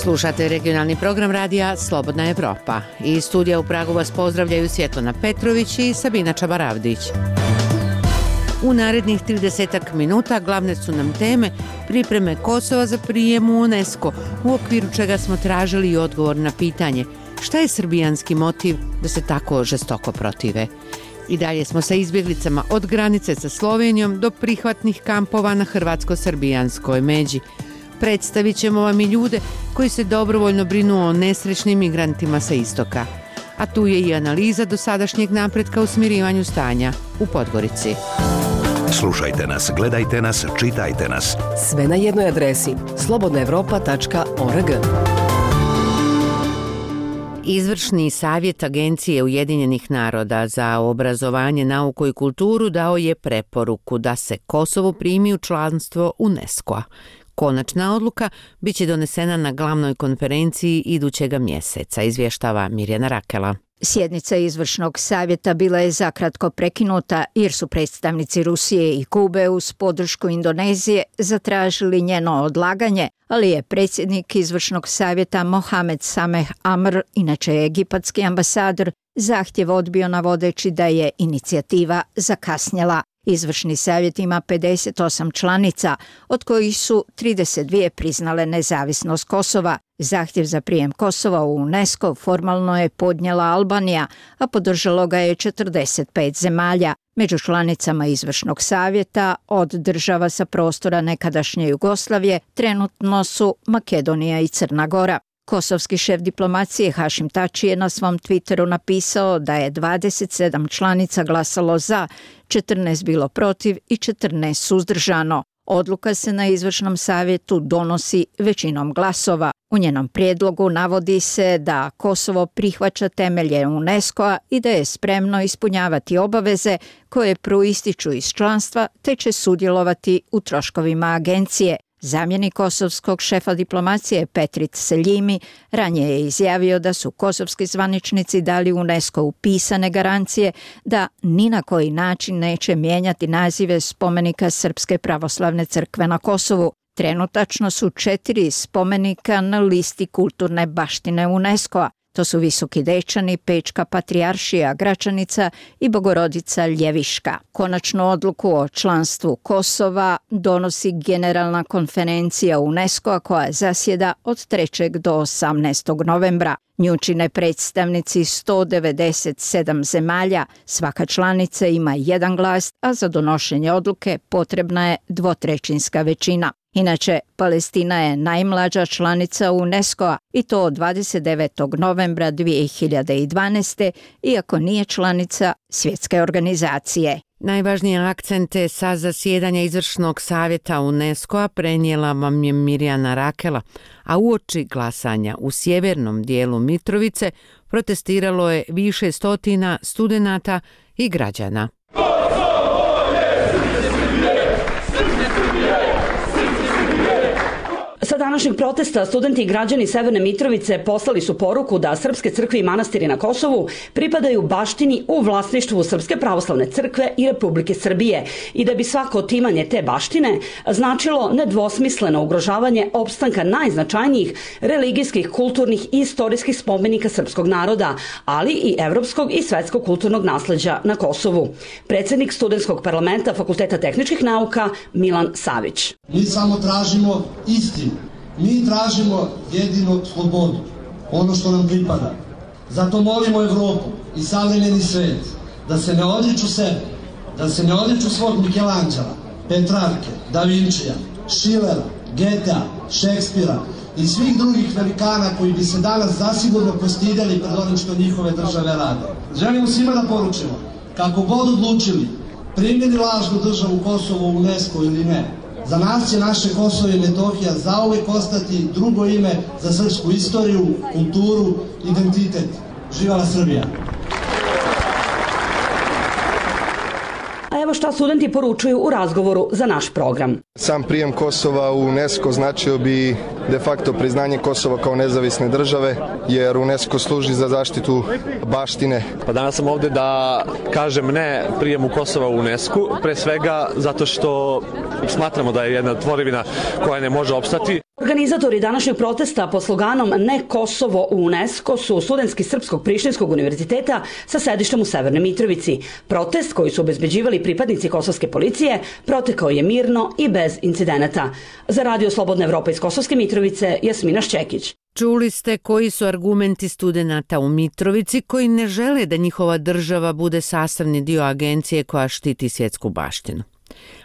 Slušate regionalni program radija Slobodna Evropa. Iz studija u Pragu vas pozdravljaju Svjetlana Petrović i Sabina Čabaravdić. U narednih 30 minuta glavne su nam teme pripreme Kosova za prijem u UNESCO, u okviru čega smo tražili i odgovor na pitanje šta je srbijanski motiv da se tako žestoko protive. I dalje smo sa izbjeglicama od granice sa Slovenijom do prihvatnih kampova na hrvatsko-srbijanskoj međi. Predstavit ćemo vam i ljude koji se dobrovoljno brinu o nesrećnim migrantima sa istoka. A tu je i analiza dosadašnjeg napretka u smirivanju stanja u Podgorici. Slušajte nas, gledajte nas, čitajte nas. Sve na jednoj adresi slobodnaevropa.org. Izvršni savjet Agencije Ujedinjenih naroda za obrazovanje, nauku i kulturu dao je preporuku da se Kosovo primi u članstvo UNESCO-a. Konačna odluka biće donesena na glavnoj konferenciji idućega mjeseca, izvještava Mirjana Rakela. Sjednica izvršnog savjeta bila je zakratko prekinuta jer su predstavnici Rusije i Kube uz podršku Indonezije zatražili njeno odlaganje, ali je predsjednik izvršnog savjeta Mohamed Sameh Amr, inače egipatski ambasador, zahtjev odbio navodeći da je inicijativa zakasnjela. Izvršni savjet ima 58 članica, od kojih su 32 priznale nezavisnost Kosova. Zahtjev za prijem Kosova u UNESCO formalno je podnijela Albanija, a podržalo ga je 45 zemalja. Među članicama izvršnog savjeta od država sa prostora nekadašnje Jugoslavije trenutno su Makedonija i Crna Gora. Kosovski šef diplomacije Hašim Tači je na svom Twitteru napisao da je 27 članica glasalo za, 14 bilo protiv i 14 suzdržano. Odluka se na izvršnom savjetu donosi većinom glasova. U njenom prijedlogu navodi se da Kosovo prihvaća temelje UNESCO-a i da je spremno ispunjavati obaveze koje proističu iz članstva te će sudjelovati u troškovima agencije. Zamjenik kosovskog šefa diplomacije Petrit Seljimi ranije je izjavio da su kosovski zvaničnici dali UNESCO pisane garancije da ni na koji način neće mijenjati nazive spomenika Srpske pravoslavne crkve na Kosovu. Trenutačno su 4 spomenika na listi kulturne baštine UNESCO-a. To su Visoki Dečani, Pečka patrijaršija Gračanica i Bogorodica Ljeviška. Konačnu odluku o članstvu Kosova donosi Generalna konferencija UNESCO-a koja zasjeda od 3. do 18. novembra. Nju čine predstavnici 197 zemalja, svaka članica ima jedan glas, a za donošenje odluke potrebna je dvotrećinska većina. Inače, Palestina je najmlađa članica UNESCO-a i to od 29. novembra 2012. iako nije članica svjetske organizacije. Najvažnije akcente sa zasjedanja izvršnog savjeta UNESCO-a prenijela vam je Mirjana Rakela, a uoči glasanja u sjevernom dijelu Mitrovice protestiralo je više stotina studenata i građana. Sa današnjeg protesta studenti i građani Severne Mitrovice poslali su poruku da srpske crkve i manastiri na Kosovu pripadaju baštini u vlasništvu Srpske pravoslavne crkve i Republike Srbije i da bi svako otimanje te baštine značilo nedvosmisleno ugrožavanje opstanka najznačajnijih religijskih, kulturnih i istorijskih spomenika srpskog naroda, ali i evropskog i svetskog kulturnog nasleđa na Kosovu. Predsjednik studentskog parlamenta Fakulteta tehničkih nauka Milan Savić. Mi samo tražimo istinu. Mi tražimo jedino slobodu, ono što nam pripada. Zato molimo Evropu i savremeni svet da se ne odriču sebe, da se ne odriču svog Mikelanđela, Petrarke, Da Vinčija, Schillera, Goethea, Šekspira i svih drugih velikana koji bi se danas zasigurno postidjeli pred onim što njihove države rade. Želimo svima da poručimo, kako god odlučili, primili lažnu državu Kosovo u UNESCO ili ne, za nas će naše Kosovo i Metohija zauvijek ostati drugo ime za srpsku istoriju, kulturu, identitet. Živjela Srbija! A evo šta studenti poručuju u razgovoru za naš program. Sam prijem Kosova u UNESCO značio bi de facto priznanje Kosova kao nezavisne države, jer UNESCO služi za zaštitu baštine. Pa danas sam ovdje da kažem ne prijemu Kosova u UNESCO, pre svega zato što smatramo da je jedna tvorevina koja ne može opstati. Organizatori današnjeg protesta pod sloganom Ne Kosovo u UNESCO su studentski Srpskog Prištinskog univerziteta sa sedištem u Severnoj Mitrovici. Protest koji su obezbeđivali pripadnici kosovske policije protekao je mirno i bez incidenata. Za Radio Slobodna Evropa iz Kosovske Mitrovice, Jasmina Šćekić. Čuli ste koji su argumenti studenata u Mitrovici koji ne žele da njihova država bude sastavni dio agencije koja štiti svjetsku baštinu.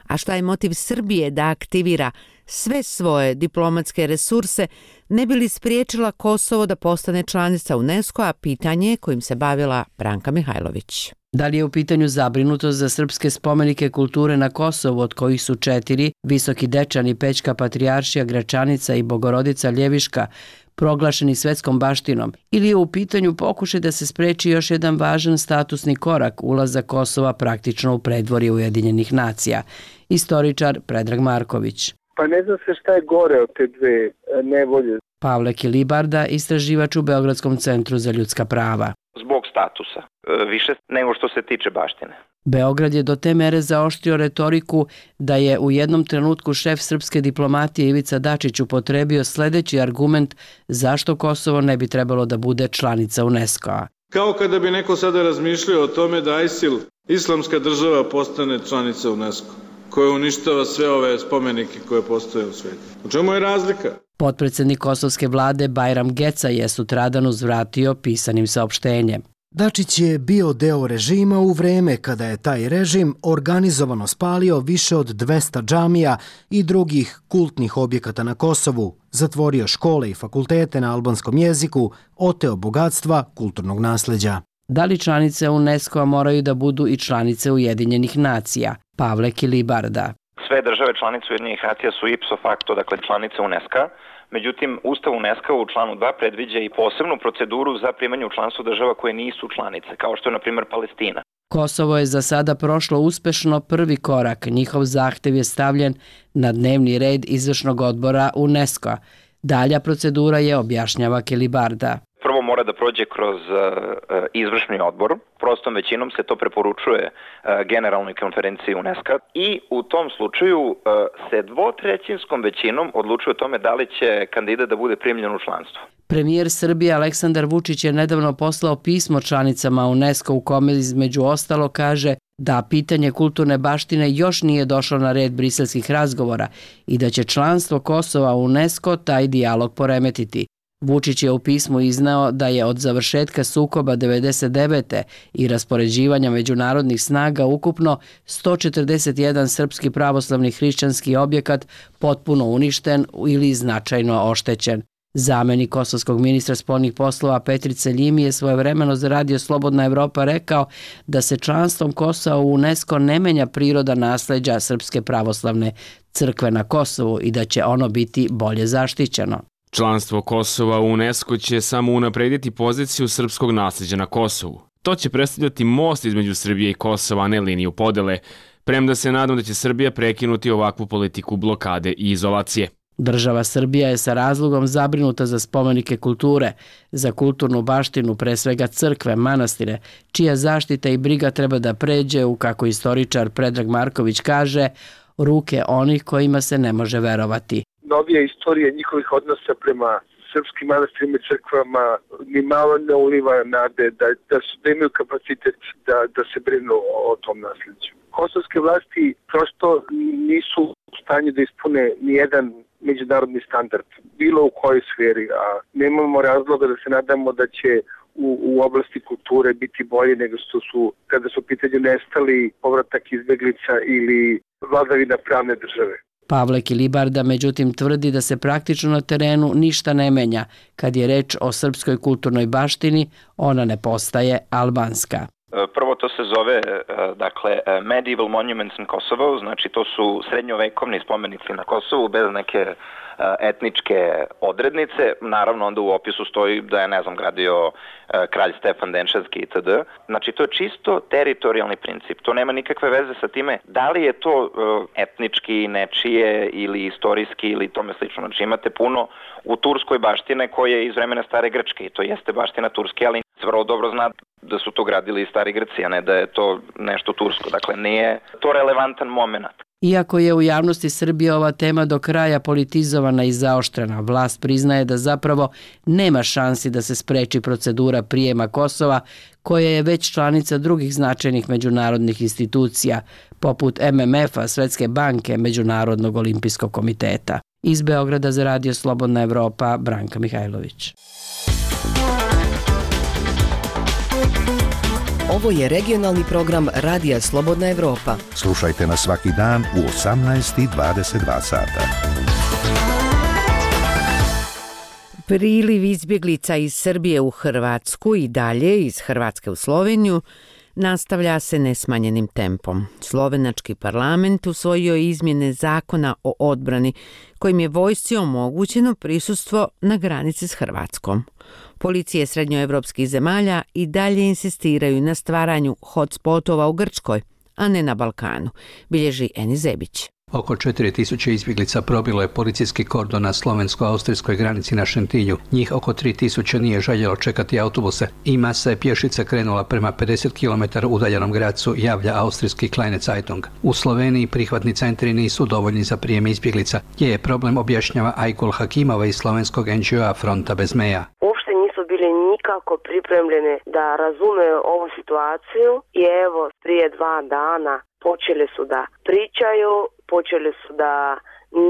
A šta je motiv Srbije da aktivira sve svoje diplomatske resurse ne bi li spriječila Kosovo da postane članica UNESCO-a, pitanje kojim se bavila Branka Mihajlović. Da li je u pitanju zabrinutost za srpske spomenike kulture na Kosovu, od kojih su 4, Visoki Dečani, Pećka Patrijaršija, Gračanica i Bogorodica Ljeviška, proglašeni svetskom baštinom, ili je u pitanju pokušaj da se spreči još jedan važan statusni korak, ulazak Kosova praktično u predvorje Ujedinjenih nacija? Istoričar Predrag Marković. Pa ne zna se šta je gore od te dve nevolje. Pavle Kilibarda, istraživač u Beogradskom centru za ljudska prava. Zbog statusa, više nego što se tiče baštine. Beograd je do te mere zaoštrio retoriku da je u jednom trenutku šef srpske diplomatije Ivica Dačić upotrebio sljedeći argument zašto Kosovo ne bi trebalo da bude članica UNESCO-a. Kao kada bi neko sada razmišljao o tome da ISIL, islamska država, postane članica UNESCO, koja uništava sve ove spomenike koje postoje u svijetu. U čemu je razlika? Potpredsjednik kosovske vlade Bajram Geca je sutradan uzvratio pisanim saopštenjem. Dačić je bio deo režima u vreme kada je taj režim organizovano spalio više od 200 džamija i drugih kultnih objekata na Kosovu, zatvorio škole i fakultete na albanskom jeziku, oteo bogatstva kulturnog nasleđa. Da li članice UNESCO-a moraju da budu i članice Ujedinjenih nacija? Pavle Kilibarda. Sve države članice Ujedinjenih nacija su ipso facto, dakle članice UNESCO-a. Međutim, Ustav UNESCO u članu 2 predviđa i posebnu proceduru za primanje u članstvo država koje nisu članice, kao što je, na primjer, Palestina. Kosovo je za sada prošlo uspešno prvi korak. Njihov zahtev je stavljen na dnevni red izvršnog odbora UNESCO-a. Dalja procedura je, objašnjava Kilibarda. Prvo mora da prođe kroz izvršni odbor, prostom većinom se to preporučuje generalnoj konferenciji UNESCO i u tom slučaju se dvotrećinskom većinom odlučuje o tome da li će kandidat da bude primljen u članstvo. Premijer Srbije Aleksandar Vučić je nedavno poslao pismo članicama UNESCO u kome između ostalo kaže da pitanje kulturne baštine još nije došlo na red briselskih razgovora i da će članstvo Kosova u UNESCO taj dijalog poremetiti. Vučić je u pismu izneo da je od završetka sukoba 1999. i raspoređivanja međunarodnih snaga ukupno 141 srpski pravoslavni hrišćanski objekat potpuno uništen ili značajno oštećen. Zamenik kosovskog ministra spoljnih poslova Petrice Ljimi je svojevremeno za Radio Slobodna Evropa rekao da se članstvom Kosova u UNESCO ne menja priroda nasleđa Srpske pravoslavne crkve na Kosovu i da će ono biti bolje zaštićeno. Članstvo Kosova u UNESCO će samo unaprediti poziciju srpskog nasljeđa na Kosovu. To će predstavljati most između Srbije i Kosova, a ne liniju podele, premda se nadam da će Srbija prekinuti ovakvu politiku blokade i izolacije. Država Srbija je sa razlogom zabrinuta za spomenike kulture, za kulturnu baštinu, pre svega crkve, manastire, čija zaštita i briga treba da pređe u, kako istoričar Predrag Marković kaže, ruke onih kojima se ne može verovati. Novija istorija njihovih odnosa prema srpskim manastirima i crkvama ni malo ne uliva nade da imaju kapacitet da se brinu o tom nasleđu. Kosovske vlasti prosto nisu u stanju da ispune ni jedan međunarodni standard, bilo u kojoj sferi, a nemamo razloga da se nadamo da će u oblasti kulture biti bolje nego što su kada su u pitanju nestali, povratak izbeglica ili vladavina pravne države. Pavle Kilibarda međutim tvrdi da se praktično na terenu ništa ne menja. Kad je reč o srpskoj kulturnoj baštini, ona ne postaje albanska. Prvo to se zove Medieval Monuments in Kosovo, znači to su srednjovekovni spomenici na Kosovu bez neke etničke odrednice. Naravno onda u opisu stoji da je, gradio kralj Stefan Denčanski itd. Znači to je čisto teritorijalni princip. To nema nikakve veze sa time da li je to etnički, nečije ili istorijski ili tome slično. Znači imate puno u turskoj baštine koje je iz vremena stare Grčke i to jeste baština turske, ali se vrlo dobro zna da su to gradili i stari Grci, a ne da je to nešto tursko. Dakle, nije to relevantan moment. Iako je u javnosti Srbije ova tema do kraja politizovana i zaoštrena, vlast priznaje da zapravo nema šansi da se spreči procedura prijema Kosova, koja je već članica drugih značajnih međunarodnih institucija, poput MMF-a, Svetske banke, Međunarodnog olimpijskog komiteta. Iz Beograda za Radio Slobodna Evropa, Branka Mihajlović. Ovo je regionalni program Radija Slobodna Evropa. Slušajte nas svaki dan u 18:22 sata. Priliv izbjeglica iz Srbije u Hrvatsku i dalje iz Hrvatske u Sloveniju nastavlja se nesmanjenim tempom. Slovenački parlament usvojio je izmjene zakona o odbrani, kojim je vojsci omogućeno prisustvo na granici s Hrvatskom. Policije srednjoevropskih zemalja i dalje insistiraju na stvaranju hotspotova u Grčkoj, a ne na Balkanu, bilježi Eni Zebić. Oko 4000 izbjeglica probilo je policijski kordon na slovensko-austrijskoj granici na Šentilju. Njih oko 3000 nije željelo čekati autobuse i masa je pješice krenula prema 50 km udaljenom gradcu, javlja austrijski Kleine Zeitung. U Sloveniji prihvatni centri nisu dovoljni za prijem izbjeglica, gdje je problem, objašnjava Ajkul Hakimova iz slovenskog NGO-a Fronta bez meja. Uopšte nisu bili nikako pripremljeni da razume ovu situaciju i evo prije 2 dana počeli su da pričaju, počeli su da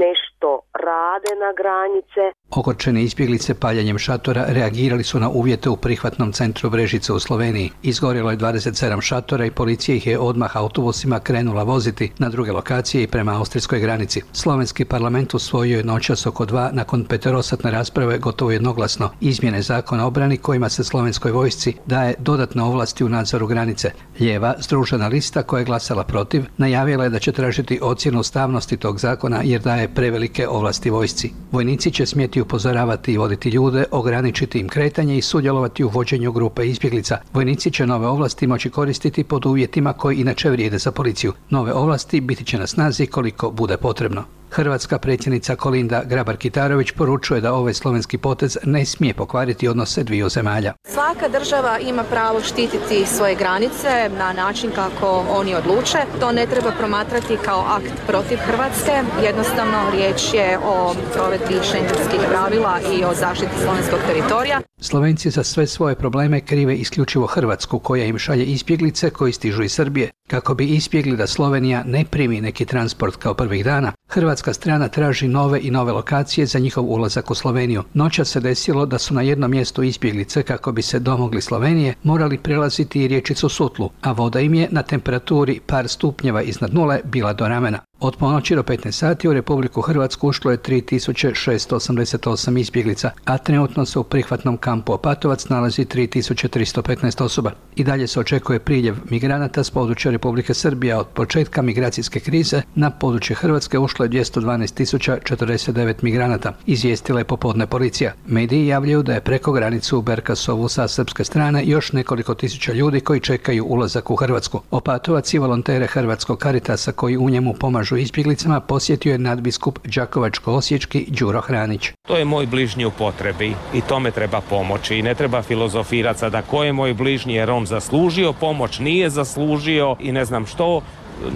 nešto rade na granice. Ogorčene izbjeglice paljenjem šatora reagirali su na uvjete u prihvatnom centru Brežice u Sloveniji. Izgorjelo je 27 šatora i policija ih je odmah autobusima krenula voziti na druge lokacije i prema austrijskoj granici. Slovenski parlament usvojio je noćas oko 2 nakon 5-satne rasprave gotovo jednoglasno izmjene zakona o obrani kojima se slovenskoj vojsci daje dodatne ovlasti u nadzoru granice. Lijeva, Združena lista, koja je glasala protiv, najavila je da će tražiti ocjenu ustavnosti tog zakona jer daje prevelike ovlasti vojsci. Vojnici će smjeti upozoravati i voditi ljude, ograničiti im kretanje i sudjelovati u vođenju grupe izbjeglica. Vojnici će nove ovlasti moći koristiti pod uvjetima koji inače vrijede za policiju. Nove ovlasti biti će na snazi koliko bude potrebno. Hrvatska predsjednica Kolinda Grabar-Kitarović poručuje da ovaj slovenski potez ne smije pokvariti odnose dviju zemalja. Svaka država ima pravo štititi svoje granice na način kako oni odluče. To ne treba promatrati kao akt protiv Hrvatske. Jednostavno riječ je o provedbi šengenskih pravila i o zaštiti slovenskog teritorija. Slovenci za sve svoje probleme krive isključivo Hrvatsku, koja im šalje izbjeglice koji stižu iz Srbije. Kako bi izbjegli da Slovenija ne primi neki transport kao prvih dana, hrvatska strana traži nove i nove lokacije za njihov ulazak u Sloveniju. Noćas se desilo da su na jednom mjestu izbjeglice, kako bi se domogli Slovenije, morali prelaziti i riječicu Sutlu, a voda im je na temperaturi par stupnjeva iznad nule bila do ramena. Od ponoći do 15 sati u Republiku Hrvatsku ušlo je 3688 izbjeglica, a trenutno se u prihvatnom kampu Opatovac nalazi 3315 osoba. I dalje se očekuje priljev migranata s područja Republike Srbije. Od početka migracijske krize na područje Hrvatske ušlo je 212.049 migranata, izvijestila je popodne policija. Mediji javljaju da je preko granicu u Berkasovu sa srpske strane još nekoliko tisuća ljudi koji čekaju ulazak u Hrvatsku. Opatovac i volontere Hrvatskog Caritasa koji u njemu pomažu izbjeglicama posjetio je nadbiskup Đakovačko-osječki Đuro Hranić. To je moj bližnji u potrebi i tome treba pomoći i ne treba filozofirati sada ko je moj bližnji jer on zaslužio pomoć, nije zaslužio i ne znam što,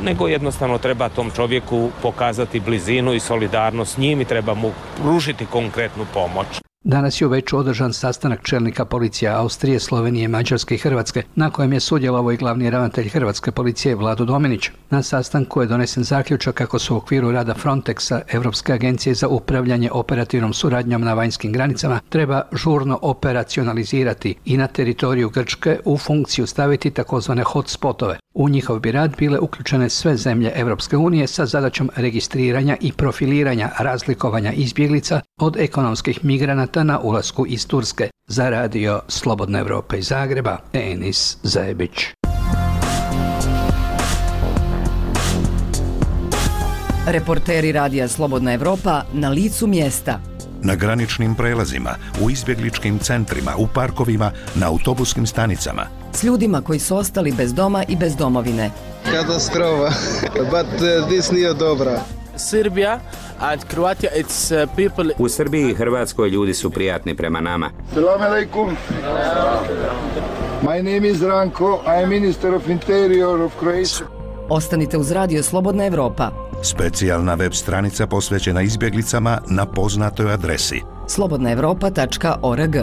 nego jednostavno treba tom čovjeku pokazati blizinu i solidarnost s njim i treba mu pružiti konkretnu pomoć. Danas je u Beču održan sastanak čelnika policija Austrije, Slovenije, Mađarske i Hrvatske, na kojem je sudjelovao i glavni ravnatelj Hrvatske policije Vlado Dominić. Na sastanku je donesen zaključak kako su u okviru rada Frontexa, Europske agencije za upravljanje operativnom suradnjom na vanjskim granicama, treba žurno operacionalizirati i na teritoriju Grčke u funkciju staviti takozvane hotspotove. U njihov bi rad bile uključene sve zemlje Europske unije sa zadaćom registriranja i profiliranja razlikovanja izbjeglica od ekonomskih migranata na ulasku iz Turske. Za Radio Slobodna Evropa iz Zagreba, Enis Zajebić. Reporteri Radija Slobodna Evropa na licu mjesta. Na graničnim prelazima, u izbjegličkim centrima, u parkovima, na autobuskim stanicama. S ljudima koji su ostali bez doma i bez domovine. Katastrofa, but this nije dobra. Serbia and Croatia, it's people. U Srbiji i Hrvatskoj ljudi su prijatni prema nama. Selam alaikum. My name is Ranko, I am Minister of Interior of Croatia. Ostanite uz Radio Slobodna Evropa. Specijalna web stranica posvećena izbjeglicama na poznatoj adresi slobodnaevropa.org.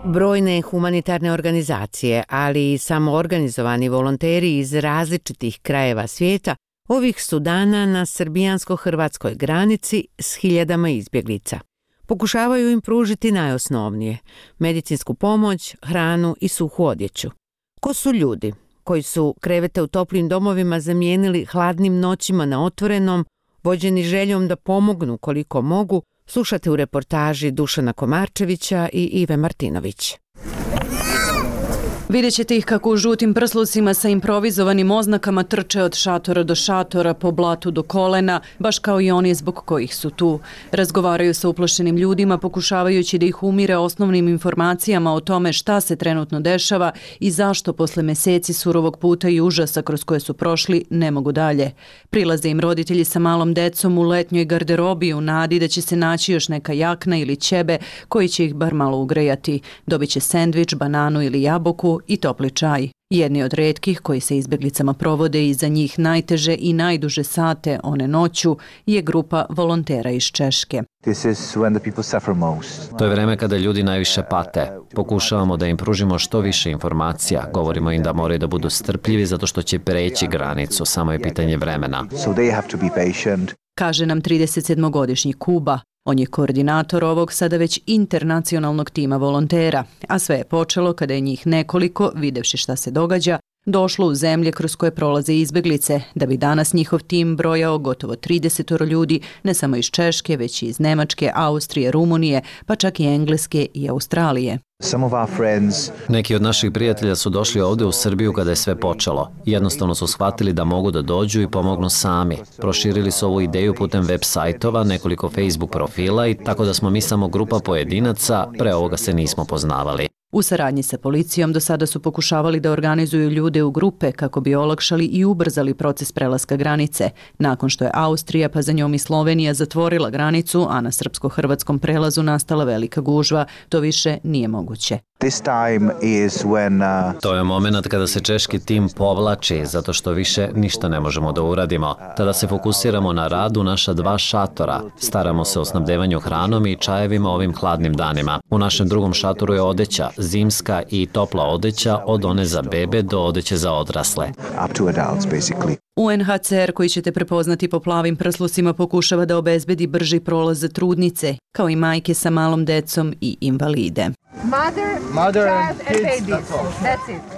Brojne humanitarne organizacije, ali i samoorganizovani volonteri iz različitih krajeva svijeta ovih su dana na srbijansko-hrvatskoj granici s hiljadama izbjeglica. Pokušavaju im pružiti najosnovnije – medicinsku pomoć, hranu i suhu odjeću. Ko su ljudi koji su krevete u toplim domovima zamijenili hladnim noćima na otvorenom, vođeni željom da pomognu koliko mogu, slušate u reportaži Dušana Komarčevića i Ive Martinović. Vidjet ćete ih kako u žutim prslucima sa improvizovanim oznakama trče od šatora do šatora, po blatu do kolena, baš kao i oni zbog kojih su tu. Razgovaraju sa uplašenim ljudima, pokušavajući da ih umire osnovnim informacijama o tome šta se trenutno dešava i zašto posle meseci surovog puta i užasa kroz koje su prošli ne mogu dalje. Prilaze im roditelji sa malom decom u letnjoj garderobi u nadi da će se naći još neka jakna ili ćebe koji će ih bar malo ugrejati. Dobit će sendvič, bananu ili jabuku i topli čaj. Jedni od retkih koji se izbjeglicama provode i za njih najteže i najduže sate one noću je grupa volontera iz Češke. To je vreme kada ljudi najviše pate. Pokušavamo da im pružimo što više informacija. Govorimo im da moraju da budu strpljivi zato što će preći granicu. Samo je pitanje vremena. Kaže nam 37-godišnji Kuba. On je koordinator ovog sada već internacionalnog tima volontera, a sve je počelo kada je njih nekoliko, videvši šta se događa, došlo u zemlje kroz koje prolaze izbjeglice, da bi danas njihov tim brojao gotovo 30 ljudi, ne samo iz Češke, već i iz Nemačke, Austrije, Rumunije, pa čak i Engleske i Australije. Neki od naših prijatelja su došli ovdje u Srbiju kada je sve počelo. Jednostavno su shvatili da mogu da dođu i pomognu sami. Proširili su ovu ideju putem web sajtova, nekoliko Facebook profila i tako da smo mi samo grupa pojedinaca, pre ovoga se nismo poznavali. U saradnji sa policijom do sada su pokušavali da organizuju ljude u grupe kako bi olakšali i ubrzali proces prelaska granice. Nakon što je Austrija, pa za njom i Slovenija zatvorila granicu, a na srpsko-hrvatskom prelazu nastala velika gužva, to više nije moguće. To je moment kada se češki tim povlači, zato što više ništa ne možemo da uradimo. Tada se fokusiramo na rad u naša 2 šatora. Staramo se o snabdevanju hranom i čajevima ovim hladnim danima. U našem drugom šatoru je odeća, zimska i topla odeća od one za bebe do odeće za odrasle. UNHCR, koji ćete prepoznati po plavim prslucima, pokušava da obezbedi brži prolaz za trudnice, kao i majke sa malom decom i invalide.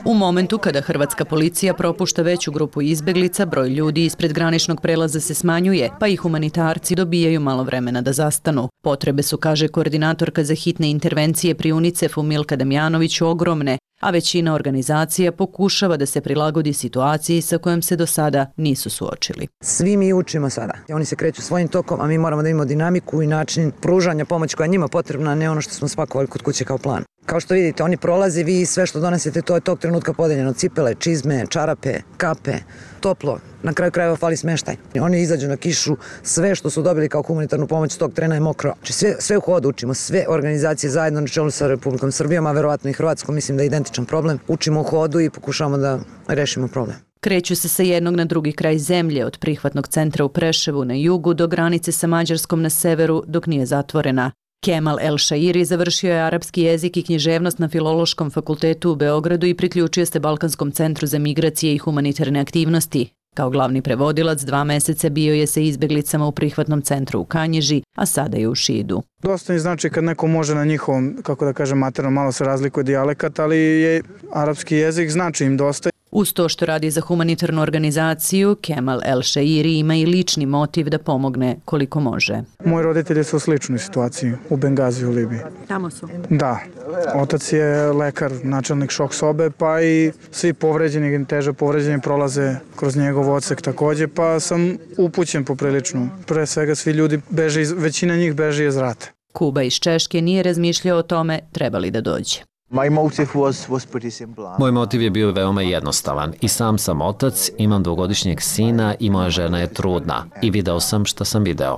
U momentu kada hrvatska policija propušta veću grupu izbjeglica, broj ljudi ispred graničnog prelaza se smanjuje, pa i humanitarci dobijaju malo vremena da zastanu. Potrebe su, kaže koordinatorka za hitne intervencije pri UNICEF-u Milka Damjanović, ogromne, a većina organizacija pokušava da se prilagodi situaciji sa kojom se do sada nisu suočili. Svi mi učimo sada. Oni se kreću svojim tokom, a mi moramo da imamo dinamiku i način pružanja pomoći koja je njima potrebna, a ne ono što smo spakovali kod kuće kao plan. Kao što vidite, oni prolaze, vi sve što donesete, to je tog trenutka podeljeno. Cipele, čizme, čarape, kape, toplo. Na kraju krajeva fali smeštaj. Oni izađu na kišu, sve što su dobili kao humanitarnu pomoć tog trena je mokro. Sve u hodu učimo, sve organizacije zajedno na čelu sa Republikom Srbijom, a verovatno i Hrvatskom, mislim da je identičan problem. Učimo u hodu i pokušavamo da rešimo problem. Kreću se sa jednog na drugi kraj zemlje, od prihvatnog centra u Preševu na jugu do granice sa Mađarskom na severu, dok nije zatvorena. Kemal El Shairi završio je arapski jezik i književnost na Filološkom fakultetu u Beogradu i priključio se Balkanskom centru za migracije i humanitarne aktivnosti. Kao glavni prevodilac 2 meseca bio je sa izbjeglicama u prihvatnom centru u Kanjiži, a sada je u Šidu. Dosta mi znači kad neko može na njihovom, kako da kažem, materno, malo se razlikuje dijalekat, ali je arapski jezik znači im dosta. Uz to što radi za humanitarnu organizaciju, Kemal El Shairi ima i lični motiv da pomogne koliko može. Moji roditelji su u sličnoj situaciji, u Bengaziju u Libiji. Tamo su? Da. Otac je lekar, načelnik šok sobe, pa i svi povređeni, teže povređeni prolaze kroz njegov odsek takođe, pa sam upućen poprilično. Pre svega svi ljudi beže, većina njih beže iz rata. Kuba iz Češke nije razmišljao o tome treba li da dođe. Moj motiv je bio veoma jednostavan. I sam sam otac, imam 2-godišnjeg sina i moja žena je trudna. I video sam šta sam video.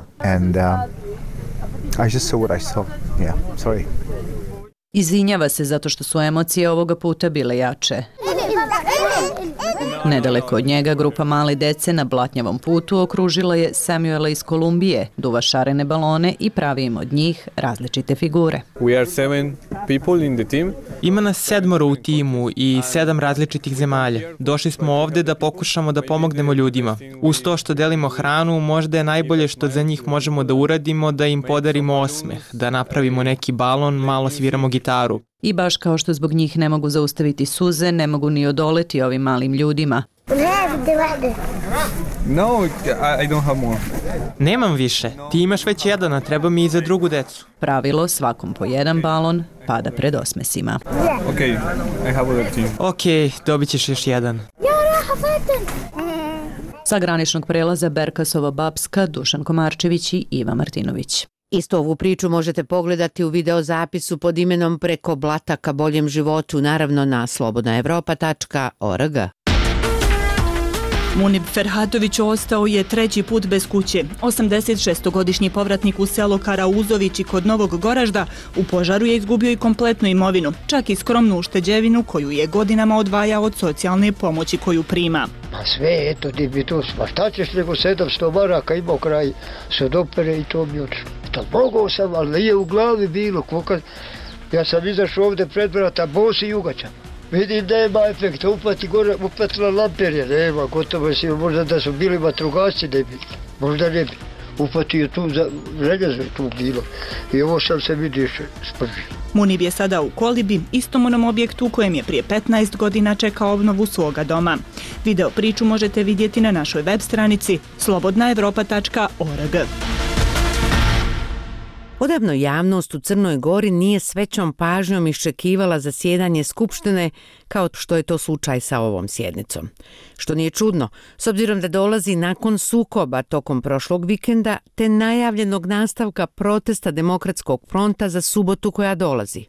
Izvinjava se zato što su emocije ovoga puta bile jače. Nedaleko od njega grupa male dece na blatnjavom putu okružila je Samuela iz Kolumbije, duva šarene balone i pravi im od njih različite figure. Ima nas 7 u timu i 7 različitih zemalja. Došli smo ovde da pokušamo da pomognemo ljudima. Uz to što delimo hranu, možda je najbolje što za njih možemo da uradimo, da im podarimo osmeh, da napravimo neki balon, malo sviramo gitaru. I baš kao što zbog njih ne mogu zaustaviti suze, ne mogu ni odoleti ovim malim ljudima. Nemam više. Ti imaš već jedan, a treba mi i za drugu decu. Pravilo, svakom po jedan balon, pada pred osmesima. Ok, dobit ćeš još jedan. Sa graničnog prelaza Berkasova-Bapska, Dušan Komarčević i Iva Martinović. Isto ovu priču možete pogledati u videozapisu pod imenom Preko blata ka boljem životu, naravno na slobodnaevropa.org. Munib Ferhatović ostao je 3. put bez kuće. 86-godišnji povratnik u selo Karauzovići kod Novog Goražda u požaru je izgubio i kompletnu imovinu, čak i skromnu ušteđevinu koju je godinama odvajao od socijalne pomoći koju prima. Pa sve, eto, dibitus, pa šta ćeš nego 700 maraka imao kraj sodopere i to mi odšlo. Tad mogao sam, ali nije u glavi bilo. Ja sam izašao ovde pred vrata, bos i jugačan. Vidim da nema efekta, upati gore, upatila lamperje, nema, gotovo si, možda da su bili vatrogasci, ne bi, možda ne bi. Upatio tu, željezo je tu bilo i ovo sam se vidio spržio. Munib je sada u kolibi, istom onom objektu u kojem je prije 15 godina čekao obnovu svoga doma. Video priču možete vidjeti na našoj web stranici slobodnaevropa.org. Odavno javnost u Crnoj Gori nije s većom pažnjom iščekivala zasjedanje Skupštine kao što je to slučaj sa ovom sjednicom. Što nije čudno, s obzirom da dolazi nakon sukoba tokom prošlog vikenda te najavljenog nastavka protesta Demokratskog fronta za subotu koja dolazi.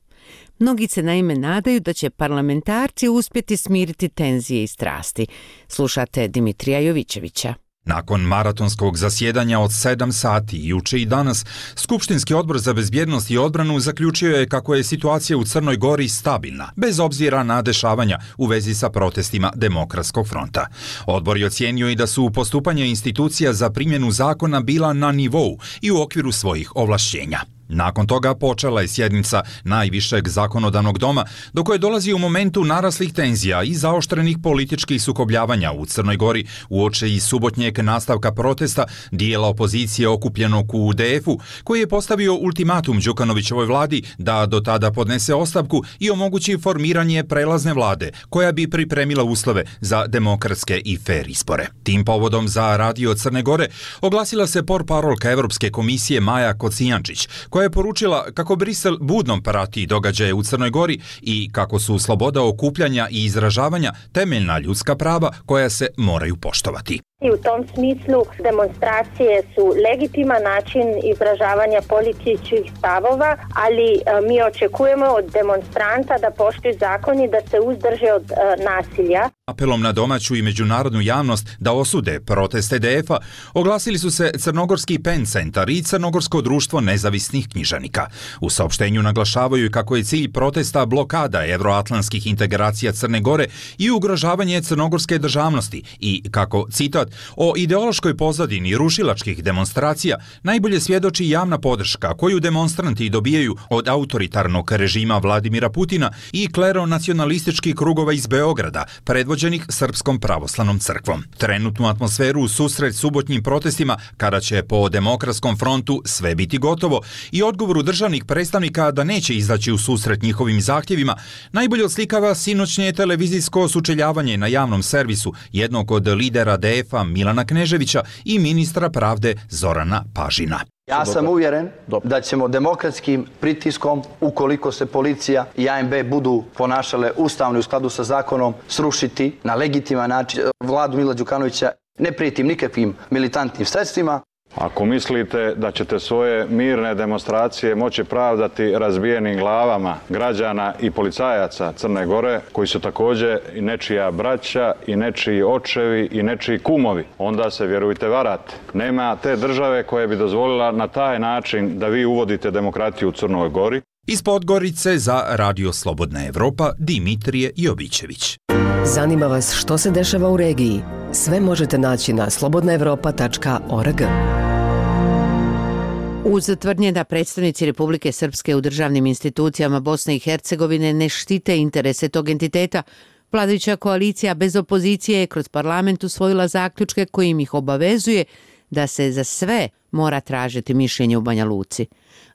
Mnogi se naime nadaju da će parlamentarci uspjeti smiriti tenzije i strasti. Slušate Dimitrija Jovićevića. Nakon maratonskog zasjedanja od 7 sati juče i danas, Skupštinski odbor za bezbjednost i odbranu zaključio je kako je situacija u Crnoj Gori stabilna, bez obzira na dešavanja u vezi sa protestima Demokratskog fronta. Odbor je ocijenio i da su postupanja institucija za primjenu zakona bila na nivou i u okviru svojih ovlašćenja. Nakon toga počela je sjednica najvišeg zakonodavnog doma, do koje dolazi u momentu naraslih tenzija i zaoštrenih političkih sukobljavanja u Crnoj Gori uoči i subotnjeg nastavka protesta dijela opozicije okupljenog u UDF-u, koji je postavio ultimatum Đukanovićevoj vladi da do tada podnese ostavku i omogući formiranje prelazne vlade, koja bi pripremila uslove za demokratske i fer izbore. Tim povodom za Radio Crne Gore oglasila se portparolka Evropske komisije Maja Kocijančić, koja je poručila kako Brisel budno prati događaje u Crnoj Gori i kako su sloboda okupljanja i izražavanja temeljna ljudska prava koja se moraju poštovati. I u tom smislu demonstracije su legitiman način izražavanja političkih stavova, ali mi očekujemo od demonstranta da poštuju zakon i da se uzdrže od nasilja. Apelom na domaću i međunarodnu javnost da osude proteste EDF-a oglasili su se Crnogorski PEN centar i Crnogorsko društvo nezavisnih književnika. U saopštenju naglašavaju kako je cilj protesta blokada evroatlantskih integracija Crne Gore i ugrožavanje crnogorske državnosti i kako, citat, o ideološkoj pozadini rušilačkih demonstracija najbolje svjedoči javna podrška koju demonstranti dobijaju od autoritarnog režima Vladimira Putina i kleronacionalističkih krugova iz Beograda, predvođenih Srpskom pravoslavnom crkvom. Trenutnu atmosferu u susret subotnjim protestima, kada će po Demokratskom frontu sve biti gotovo, i odgovoru državnih predstavnika da neće izaći u susret njihovim zahtjevima, najbolje oslikava sinoćnje televizijsko sučeljavanje na javnom servisu jednog od lidera DF-a Milana Kneževića i ministra pravde Zorana Pažina. Ja sam uvjeren da ćemo demokratskim pritiskom, ukoliko se policija i ANB budu ponašale ustavno u skladu sa zakonom, srušiti na legitiman način vladu Mila Đukanovića. Ne prijetim nikakvim militantnim sredstvima. Ako mislite da ćete svoje mirne demonstracije moći pravdati razbijenim glavama građana i policajaca Crne Gore, koji su također i nečija braća, i nečiji očevi, i nečiji kumovi, onda se, vjerujte, varate. Nema te države koja bi dozvolila na taj način da vi uvodite demokratiju u Crnoj Gori. Iz Podgorice za Radio Slobodna Evropa Dimitrije Jovićević. Zanima vas što se dešava u regiji? Sve možete naći na slobodnaevropa.org. Uz tvrdnje da predstavnici Republike Srpske u državnim institucijama Bosne i Hercegovine ne štite interese tog entiteta, vladajuća koalicija bez opozicije je kroz parlament usvojila zaključke kojim ih obavezuje da se za sve mora tražiti mišljenje u Banja Luci.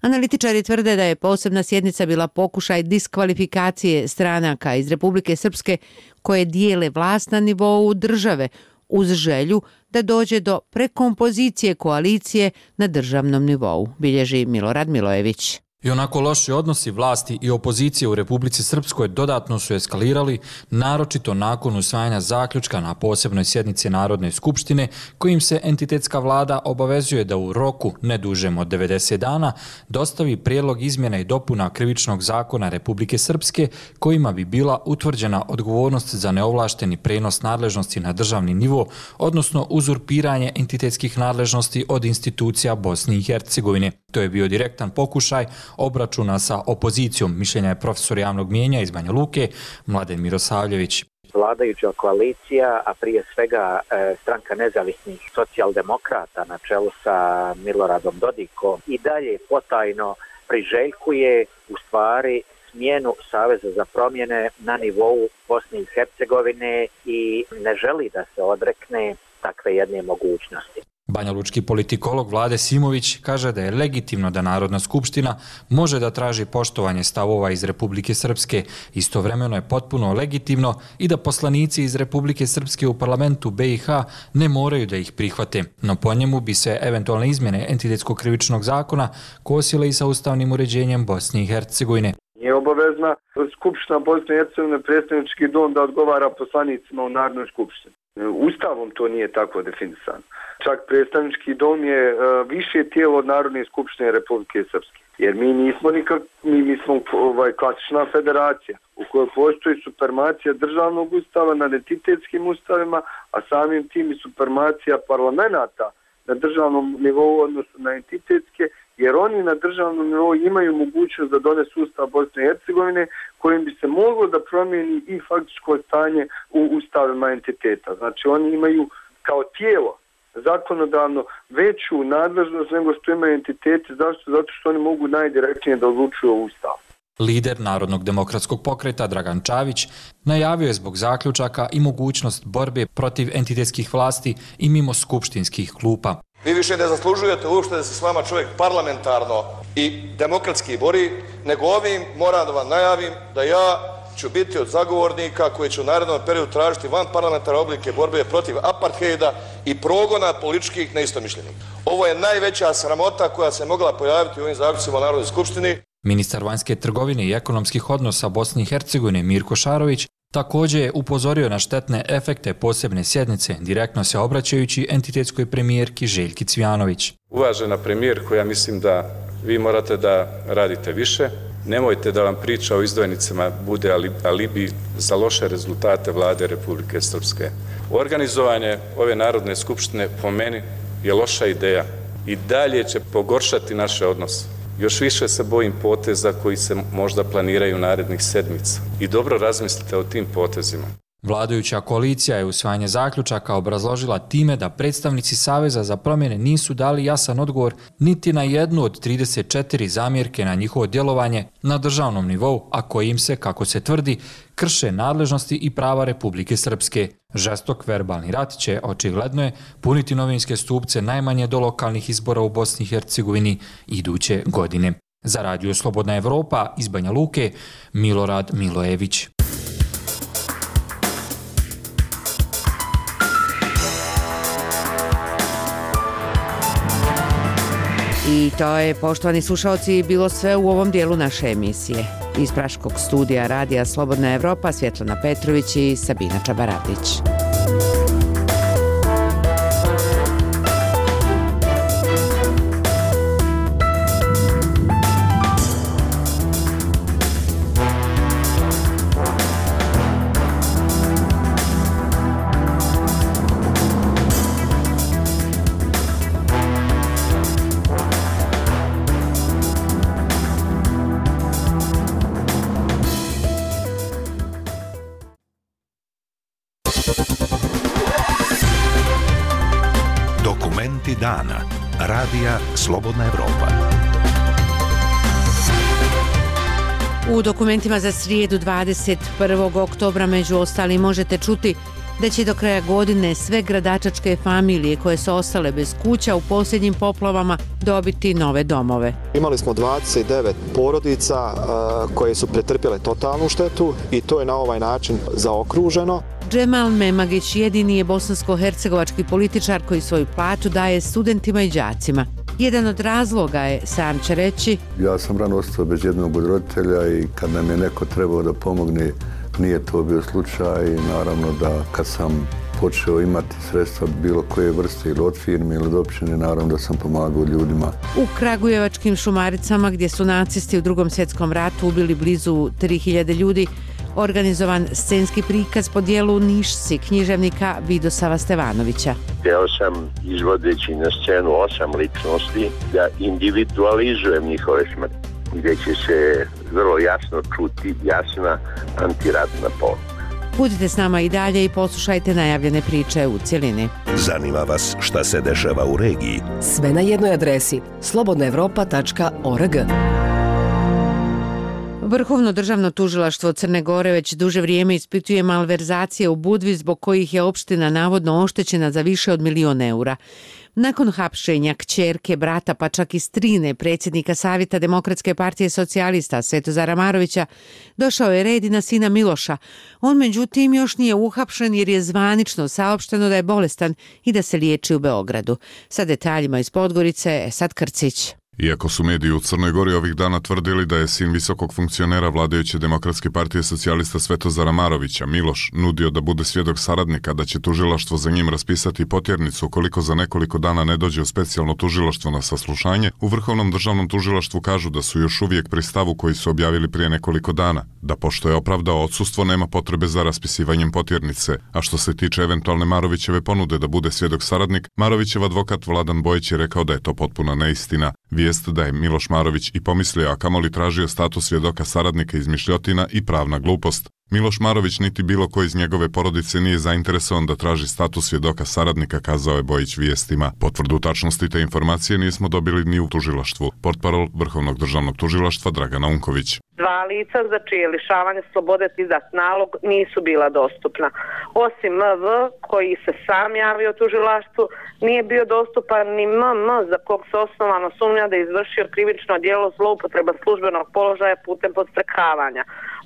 Analitičari tvrde da je posebna sjednica bila pokušaj diskvalifikacije stranaka iz Republike Srpske koje dijele vlast na nivou države uz želju da dođe do prekompozicije koalicije na državnom nivou, bilježi Milorad Milojević. I onako loši odnosi vlasti i opozicije u Republici Srpskoj dodatno su eskalirali, naročito nakon usvajanja zaključka na posebnoj sjednici Narodne skupštine, kojim se entitetska vlada obavezuje da u roku ne dužem od 90 dana dostavi prijedlog izmjena i dopuna Krivičnog zakona Republike Srpske, kojima bi bila utvrđena odgovornost za neovlašteni prenos nadležnosti na državni nivo, odnosno uzurpiranje entitetskih nadležnosti od institucija Bosne i Hercegovine. To je bio direktan pokušaj obračuna sa opozicijom, mišljenja je profesor javnog mijenja iz Banja Luke, Mladen Mirosavljević. Vladajuća koalicija, a prije svega stranka nezavisnih socijaldemokrata na čelu sa Miloradom Dodikom i dalje potajno priželjkuje u stvari smjenu Saveza za promjene na nivou Bosne i Hercegovine i ne želi da se odrekne takve jedne mogućnosti. Banjalučki politikolog Vlade Simović kaže da je legitimno da Narodna skupština može da traži poštovanje stavova iz Republike Srpske. Istovremeno je potpuno legitimno i da poslanici iz Republike Srpske u parlamentu BiH ne moraju da ih prihvate. No po njemu bi se eventualne izmjene entitetskog krivičnog zakona kosile i sa ustavnim uređenjem Bosne i Hercegovine. Nije obavezna Skupština Bosne i Hercegovine, predstavnički dom, da odgovara poslanicima u Narodnoj skupštini. Ustavom to nije tako definisano. Čak predstavnički dom je više tijelo od Narodne skupštine Republike Srpske. Jer mi smo klasična federacija u kojoj postoji supremacija državnog ustava nad entitetskim ustavima, a samim tim i supremacija parlamenta na državnom nivou odnosno na entitetske, jer oni na državnom nivou imaju mogućnost da donesu ustav Bosne i Hercegovine kojim bi se moglo da promijeni i faktičko stanje u ustavima entiteta. Znači oni imaju kao tijelo zakonodavno veću nadležnost nego što imaju entiteti. Zašto? Zato što oni mogu najdirektnije da odlučuju o ustavu. Lider Narodnog demokratskog pokreta Dragan Čavić najavio je zbog zaključaka i mogućnost borbe protiv entitetskih vlasti i mimo skupštinskih klupa. Vi više ne zaslužujete uopšte da se s vama čovjek parlamentarno i demokratski bori, nego ovim moram da vam najavim da ja ću biti od zagovornika koji će u narednom periodu tražiti van parlamentarne oblike borbe protiv apartheida i progona političkih neistomišljenika. Ovo je najveća sramota koja se mogla pojaviti u ovim zaključcima u Narodnoj skupštini. Ministar vanjske trgovine i ekonomskih odnosa Bosne i Hercegovine Mirko Šarović također je upozorio na štetne efekte posebne sjednice, direktno se obraćajući entitetskoj premijerki Željki Cvijanović. Uvažena premijerko, ja mislim da vi morate da radite više. Nemojte da vam priča o izdvojnicama bude alibi za loše rezultate vlade Republike Srpske. Organizovanje ove Narodne skupštine po meni je loša ideja i dalje će pogoršati naše odnose. Još više se bojim poteza koji se možda planiraju narednih sedmica. I dobro razmislite o tim potezima. Vladajuća koalicija je usvajanje zaključaka obrazložila time da predstavnici Saveza za promjene nisu dali jasan odgovor niti na jednu od 34 zamjerke na njihovo djelovanje na državnom nivou, a kojim se, kako se tvrdi, krše nadležnosti i prava Republike Srpske. Žestok verbalni rat će, očigledno je, puniti novinske stupce najmanje do lokalnih izbora u Bosni i Hercegovini iduće godine. Za Radio Slobodna Evropa iz Banja Luke, Milorad Milojević. I to je, poštovani slušalci, bilo sve u ovom dijelu naše emisije. Iz Praškog studija Radija Slobodna Evropa, Svjetlana Petrović i Sabina Čabaradić. Dokumenti dana. Radija Slobodna Evropa. U dokumentima za srijedu 21. oktobra među ostalim možete čuti da će do kraja godine sve gradačačke familije koje su ostale bez kuća u posljednjim poplavama dobiti nove domove. Imali smo 29 porodica koje su pretrpjele totalnu štetu i to je na ovaj način zaokruženo. Džemal Memagić jedini je bosansko-hercegovački političar koji svoju platu daje studentima i đacima. Jedan od razloga je, sam će reći, ja sam rano ostao bez jednog od roditelja i kad nam je neko trebao da pomogne, nije to bio slučaj i naravno da kad sam počeo imati sredstva bilo koje vrste ili od firme ili od općine, naravno da sam pomagao ljudima. U Kragujevačkim Šumaricama, gdje su nacisti u Drugom svjetskom ratu ubili blizu 3000 ljudi, organizovan scenski prikaz po dijelu Nišci književnika Vidosava Stevanovića. Htio sam, izvodeći na scenu 8 ličnosti, da individualizujem njihove smrti, gdje će se vrlo jasno čuti jasna antiratna poruka. Budite s nama i dalje i poslušajte najavljene priče u cjelini. Zanima vas šta se dešava u regiji? Sve na jednoj adresi slobodnaevropa.org. Vrhovno državno tužilaštvo Crne Gore već duže vrijeme ispituje malverzacije u Budvi zbog kojih je opština navodno oštećena za više od 1 milion eura. Nakon hapšenja kćerke, brata pa čak i strine predsjednika Savjeta Demokratske partije socijalista Svetozara Marovića, došao je red i na sina Miloša. On međutim još nije uhapšen jer je zvanično saopšteno da je bolestan i da se liječi u Beogradu. Sa detaljima iz Podgorice, Esad Krcić. Iako su mediji u Crnoj Gori ovih dana tvrdili da je sin visokog funkcionera vladajuće Demokratske partije socijalista Svetozara Marovića, Miloš, nudio da bude svjedok saradnika, da će tužilaštvo za njim raspisati potjernicu ukoliko za nekoliko dana ne dođe u specijalno tužilaštvo na saslušanje, u Vrhovnom državnom tužilaštvu kažu da su još uvijek pri stavu koji su objavili prije nekoliko dana, da pošto je opravdao odsustvo nema potrebe za raspisivanjem potjernice, a što se tiče eventualne Marovićeve ponude da bude svjedok saradnik, Marovićev advokat Vladan Bojić je rekao da je to potpuna neistina. Vijest da je Miloš Marović i pomislio, a kamoli tražio status svjedoka saradnika izmišljotina i pravna glupost. Miloš Marović niti bilo ko iz njegove porodice nije zainteresovan da traži status svjedoka saradnika, kazao je Bojić vijestima. Potvrdu tačnosti te informacije nismo dobili ni u tužilaštvu. Portparol Vrhovnog državnog tužilaštva Dragana Unković. 2 lica za čije lišavanje slobode izdat nalog nisu bila dostupna. Osim MV, koji se sam javio tužilaštvu, nije bio dostupan ni MM, za kog se osnovano sumnja da je izvršio krivično djelo zloupotreba službenog položaja putem podstrekavanja.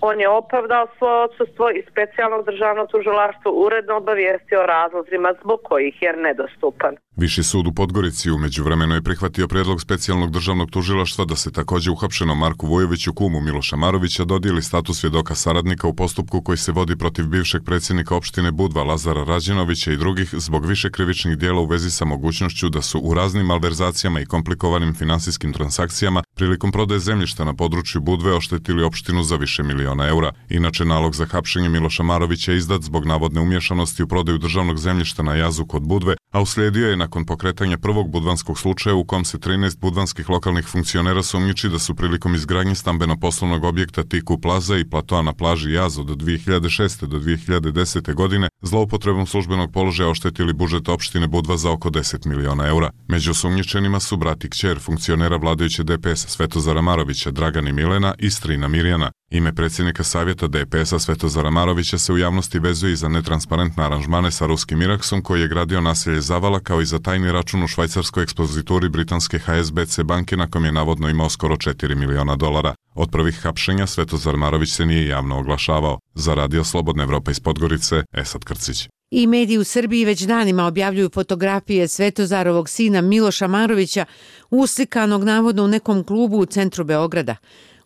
On je opravdao svoje odsustvo i specijalnog državnog tužilaštvo uredno obavijestio o razlozima zbog kojih je nedostupan. Viši sud u Podgorici u međuvremenu je prihvatio prijedlog specijalnog državnog tužilaštva da se također uhapšenom Marku Vujoviću, kumu Miloša Marovića, dodijeli status svjedoka saradnika u postupku koji se vodi protiv bivšeg predsjednika opštine Budva Lazara Rađenovića i drugih zbog više krivičnih dijela u vezi sa mogućnošću da su u raznim malverzacijama i komplikovanim finansijskim transakcijama prilikom prodaje zemljišta na području Budve oštetili opštinu za više miliona eura. Inače, nalog za hapšenje Miloša Marovića je izdat zbog navodne umješanosti u prodaju državnog zemljišta na jazu kod Budve, a uslijedio je nakon pokretanja prvog budvanskog slučaja u kom se 13 budvanskih lokalnih funkcionera sumnjiči da su prilikom izgradnje stambeno-poslovnog objekta Tiku Plaza i platoa na plaži Jaz od 2006. do 2010. godine zloupotrebom službenog položaja oštetili budžet opštine Budva za oko 10 miliona eura. Među sumnjičenima su brat i kćer funkcionera vladajuće DPS-a Svetozara Marovića, Dragan i Milena i strina Mirjana. Ime predsjednika savjeta DPS-a Svetozara Marovića se u javnosti vezuje i za netransparentne aranžmane sa ruskim Iraksom koji je gradio naselje Zavala, kao i za tajni račun u švajcarskoj ekspozituri britanske HSBC banke na kom je navodno imao skoro 4 miliona dolara. Od prvih hapšenja Svetozar Marović se nije javno oglašavao. Za Radio Slobodna Evropa iz Podgorice, Esad Krcić. I mediji u Srbiji već danima objavljuju fotografije Svetozarovog sina Miloša Marovića uslikanog navodno u nekom klubu u centru Beograda.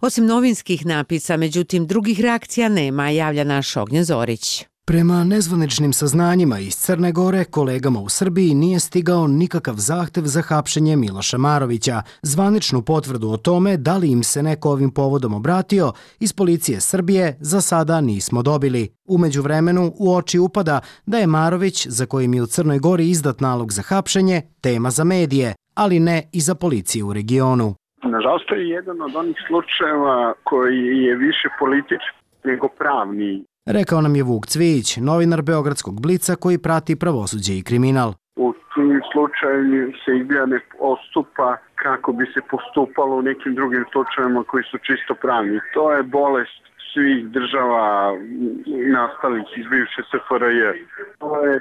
Osim novinskih napisa, međutim, drugih reakcija nema, javlja naš Ognjen Zorić. Prema nezvaničnim saznanjima iz Crne Gore, kolegama u Srbiji nije stigao nikakav zahtev za hapšenje Miloša Marovića. Zvaničnu potvrdu o tome da li im se neko ovim povodom obratio iz policije Srbije za sada nismo dobili. U međuvremenu u oči upada da je Marović, za kojim je u Crnoj Gori izdat nalog za hapšenje, tema za medije, ali ne i za policiju u regionu. Nažalost, to je jedan od onih slučajeva koji je više politički nego pravni. Rekao nam je Vuk Cvijić, novinar Beogradskog Blica koji prati pravosuđe i kriminal. U tim slučajevima se izgleda ne postupa kako bi se postupalo u nekim drugim slučajevima koji su čisto pravni. To je bolest svih država nastalih iz bivše SFRJ. To je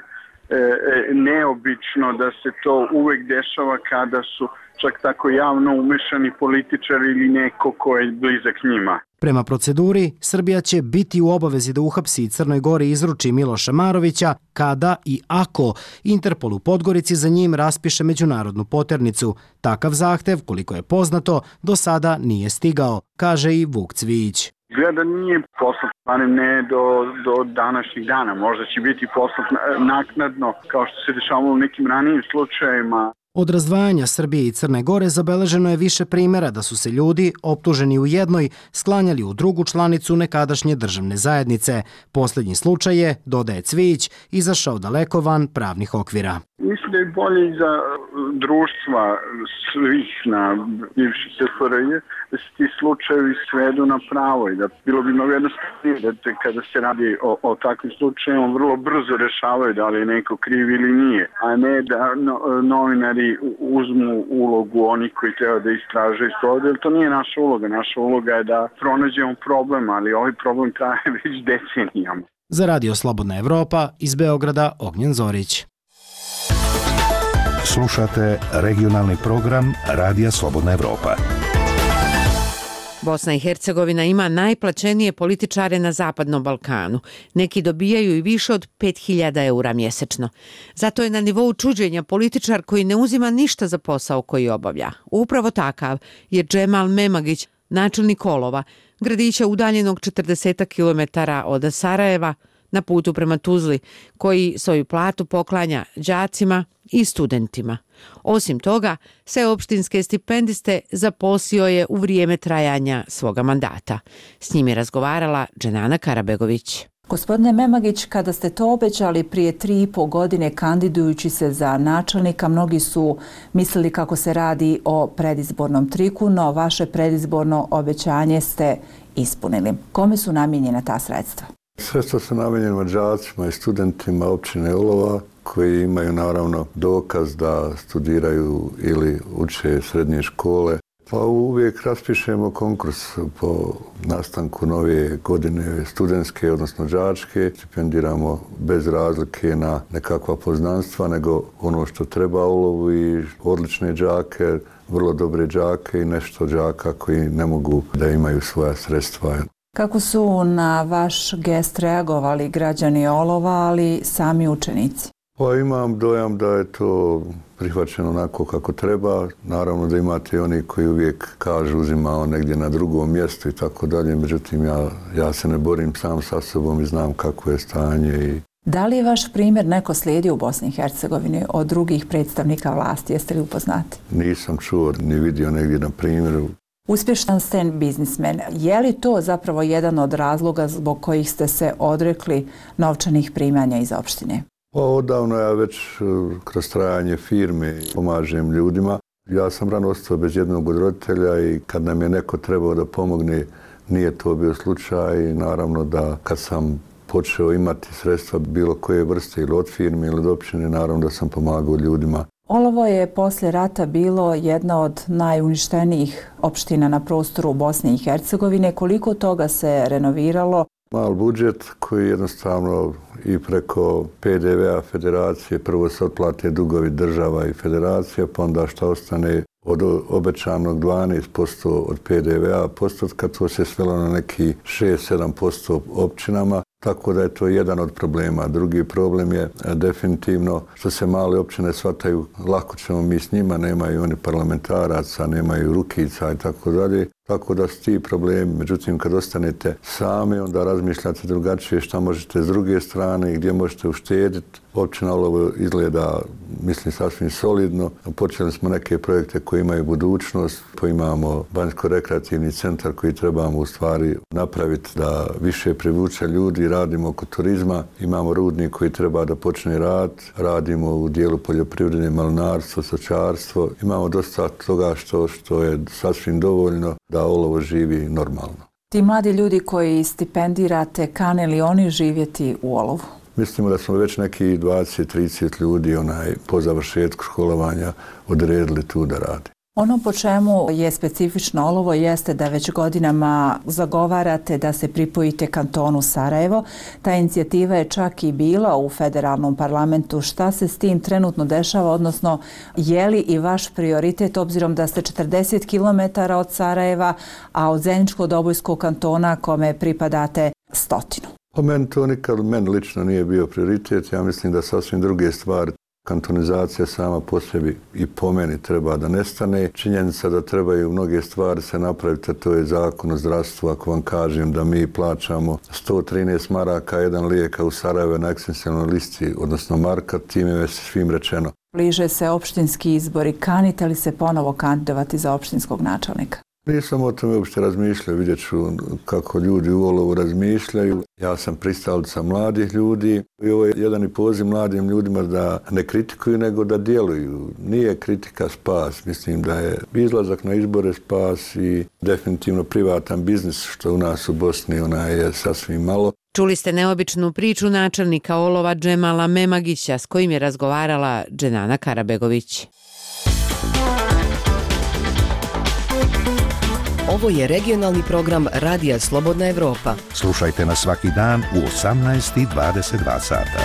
neobično da se to uvek dešava kada su čak tako javno umešani političari ili neko ko je blizak njima. Prema proceduri, Srbija će biti u obavezi da uhapsi Crnoj Gori i izruči Miloša Marovića kada i ako Interpol u Podgorici za njim raspiše međunarodnu poternicu. Takav zahtev, koliko je poznato, do sada nije stigao, kaže i Vuk Cvijić. Gleda nije poslat, ne do današnjih dana. Možda će biti poslat naknadno, kao što se dešavalo u nekim ranijim slučajevima. Od razdvajanja Srbije i Crne Gore zabeleženo je više primjera da su se ljudi, optuženi u jednoj, sklanjali u drugu članicu nekadašnje državne zajednice. Posljednji slučaj je, dodaje Cvijić, izašao daleko van pravnih okvira. Mislim da je bolje za društva svih na bivši SFRJ da se ti slučajevi svedu na pravo i da bilo bi mnogo jednostavnije da kada se radi o takvim slučajima vrlo brzo rešavaju da li je neko kriv ili nije, a ne da novinari uzmu ulogu onih koji treba da istražaju to, jer to nije naša uloga. Naša uloga je da pronađemo problem, ali ovaj problem traje već decenijama. Za Radio Slobodna Evropa iz Beograda Ognjen Zorić. Slušate regionalni program Radija Slobodna Evropa. Bosna i Hercegovina ima najplaćenije političare na Zapadnom Balkanu. Neki dobijaju i više od 5.000 eura mjesečno. Zato je na nivou čuđenja političar koji ne uzima ništa za posao koji obavlja. Upravo takav je Džemal Memagić, načelnik Olova, gradića udaljenog 40 km od Sarajeva, na putu prema Tuzli, koji svoju platu poklanja đacima i studentima. Osim toga, sve opštinske stipendiste zaposlio je u vrijeme trajanja svoga mandata. S njim je razgovarala Dženana Karabegović. Gospodine Memagić, kada ste to obećali prije 3,5 godine kandidujući se za načelnika, mnogi su mislili kako se radi o predizbornom triku, no vaše predizborno obećanje ste ispunili. Kome su namijenjena ta sredstva? Sredstva su namijenjena đacima i studentima općine Olova koji imaju naravno dokaz da studiraju ili uče srednje škole. Pa uvijek raspišemo konkurs po nastanku nove godine studentske, odnosno đačke. Stipendiramo bez razlike na nekakva poznanstva, nego ono što treba Olovu i odlične đake, vrlo dobre đake i nešto đaka koji ne mogu da imaju svoja sredstva. Kako su na vaš gest reagovali građani Olova, ali sami učenici? Pa imam dojam da je to prihvaćeno onako kako treba. Naravno da imate oni koji uvijek kažu uzimao negdje na drugom mjestu i tako dalje. Međutim, ja se ne borim sam sa sobom i znam kako je stanje. Da li je vaš primjer neko slijedio u Bosni i Hercegovini od drugih predstavnika vlasti? Jeste li upoznati? Nisam čuo ni vidio negdje na primjeru. Uspješan ste biznismen. Je li to zapravo jedan od razloga zbog kojih ste se odrekli novčanih primanja iz opštine? Pa odavno ja već kroz trajanje firme pomažem ljudima. Ja sam rano ostao bez jednog od roditelja i kad nam je neko trebao da pomogne, nije to bio slučaj. I naravno da kad sam počeo imati sredstva bilo koje vrste ili od firme ili od opštine, naravno da sam pomagao ljudima. Olovo je poslije rata bilo jedna od najuništenijih opština na prostoru Bosne i Hercegovine. Koliko toga se renoviralo? Mal budžet koji jednostavno i preko PDV-a federacije, prvo se otplate dugovi država i federacija, pa onda što ostane od obećanog 12% od PDV-a postotka, to se svelo na neki 6-7% općinama. Tako da je to jedan od problema. Drugi problem je definitivno što se male općine shvataju, lako ćemo mi s njima, nemaju oni parlamentaraca, nemaju rukica i tako dalje. Tako da su ti problemi. Međutim, kad ostanete sami, onda razmišljate drugačije šta možete s druge strane i gdje možete uštediti. Općina Olovo izgleda, mislim, sasvim solidno. Počeli smo neke projekte koji imaju budućnost. Pa imamo banjsko-rekreativni centar koji trebamo u stvari napraviti da više privuče ljudi. Radimo oko turizma. Imamo rudnik koji treba da počne rad. Radimo u dijelu poljoprivrede, malinarstvo, stočarstvo. Imamo dosta toga što je sasvim dovoljno da Olovo živi normalno. Ti mladi ljudi koji stipendirate, kane li oni živjeti u olovu? Mislimo da smo već neki 20-30 ljudi po završetku školovanja odredili tu da radi. Ono po čemu je specifično olovo jeste da već godinama zagovarate da se pripojite kantonu Sarajevo. Ta inicijativa je čak i bila u federalnom parlamentu. Šta se s tim trenutno dešava, odnosno je li i vaš prioritet, obzirom da ste 40 km od Sarajeva, a od Zeničko-Dobojskog kantona kome pripadate 100? Po meni to nikad lično nije bio prioritet. Ja mislim da sasvim druge stvari. Kantonizacija sama po sebi i po meni treba da nestane. Činjenica da trebaju mnoge stvari se napraviti, a to je zakon o zdravstvu. Ako vam kažem da mi plaćamo 113 maraka jedan lijek u Sarajevo na ekstensijalnoj listi, odnosno marka, time je svim rečeno. Bliže se opštinski izbori. Kanite li se ponovo kandidovati za opštinskog načelnika? Nisam o tome uopšte razmišljao, vidjet ću kako ljudi u olovu razmišljaju. Ja sam pristalica mladih ljudi i ovo je jedan i poziv mladim ljudima da ne kritikuju, nego da djeluju. Nije kritika spas, mislim da je izlazak na izbore spas i definitivno privatan biznis, što u nas u Bosni je sasvim malo. Čuli ste neobičnu priču načelnika olova Džemala Memagića s kojim je razgovarala Dženana Karabegović. Ovo je regionalni program Radija Slobodna Evropa. Slušajte nas svaki dan u 18:22 sata.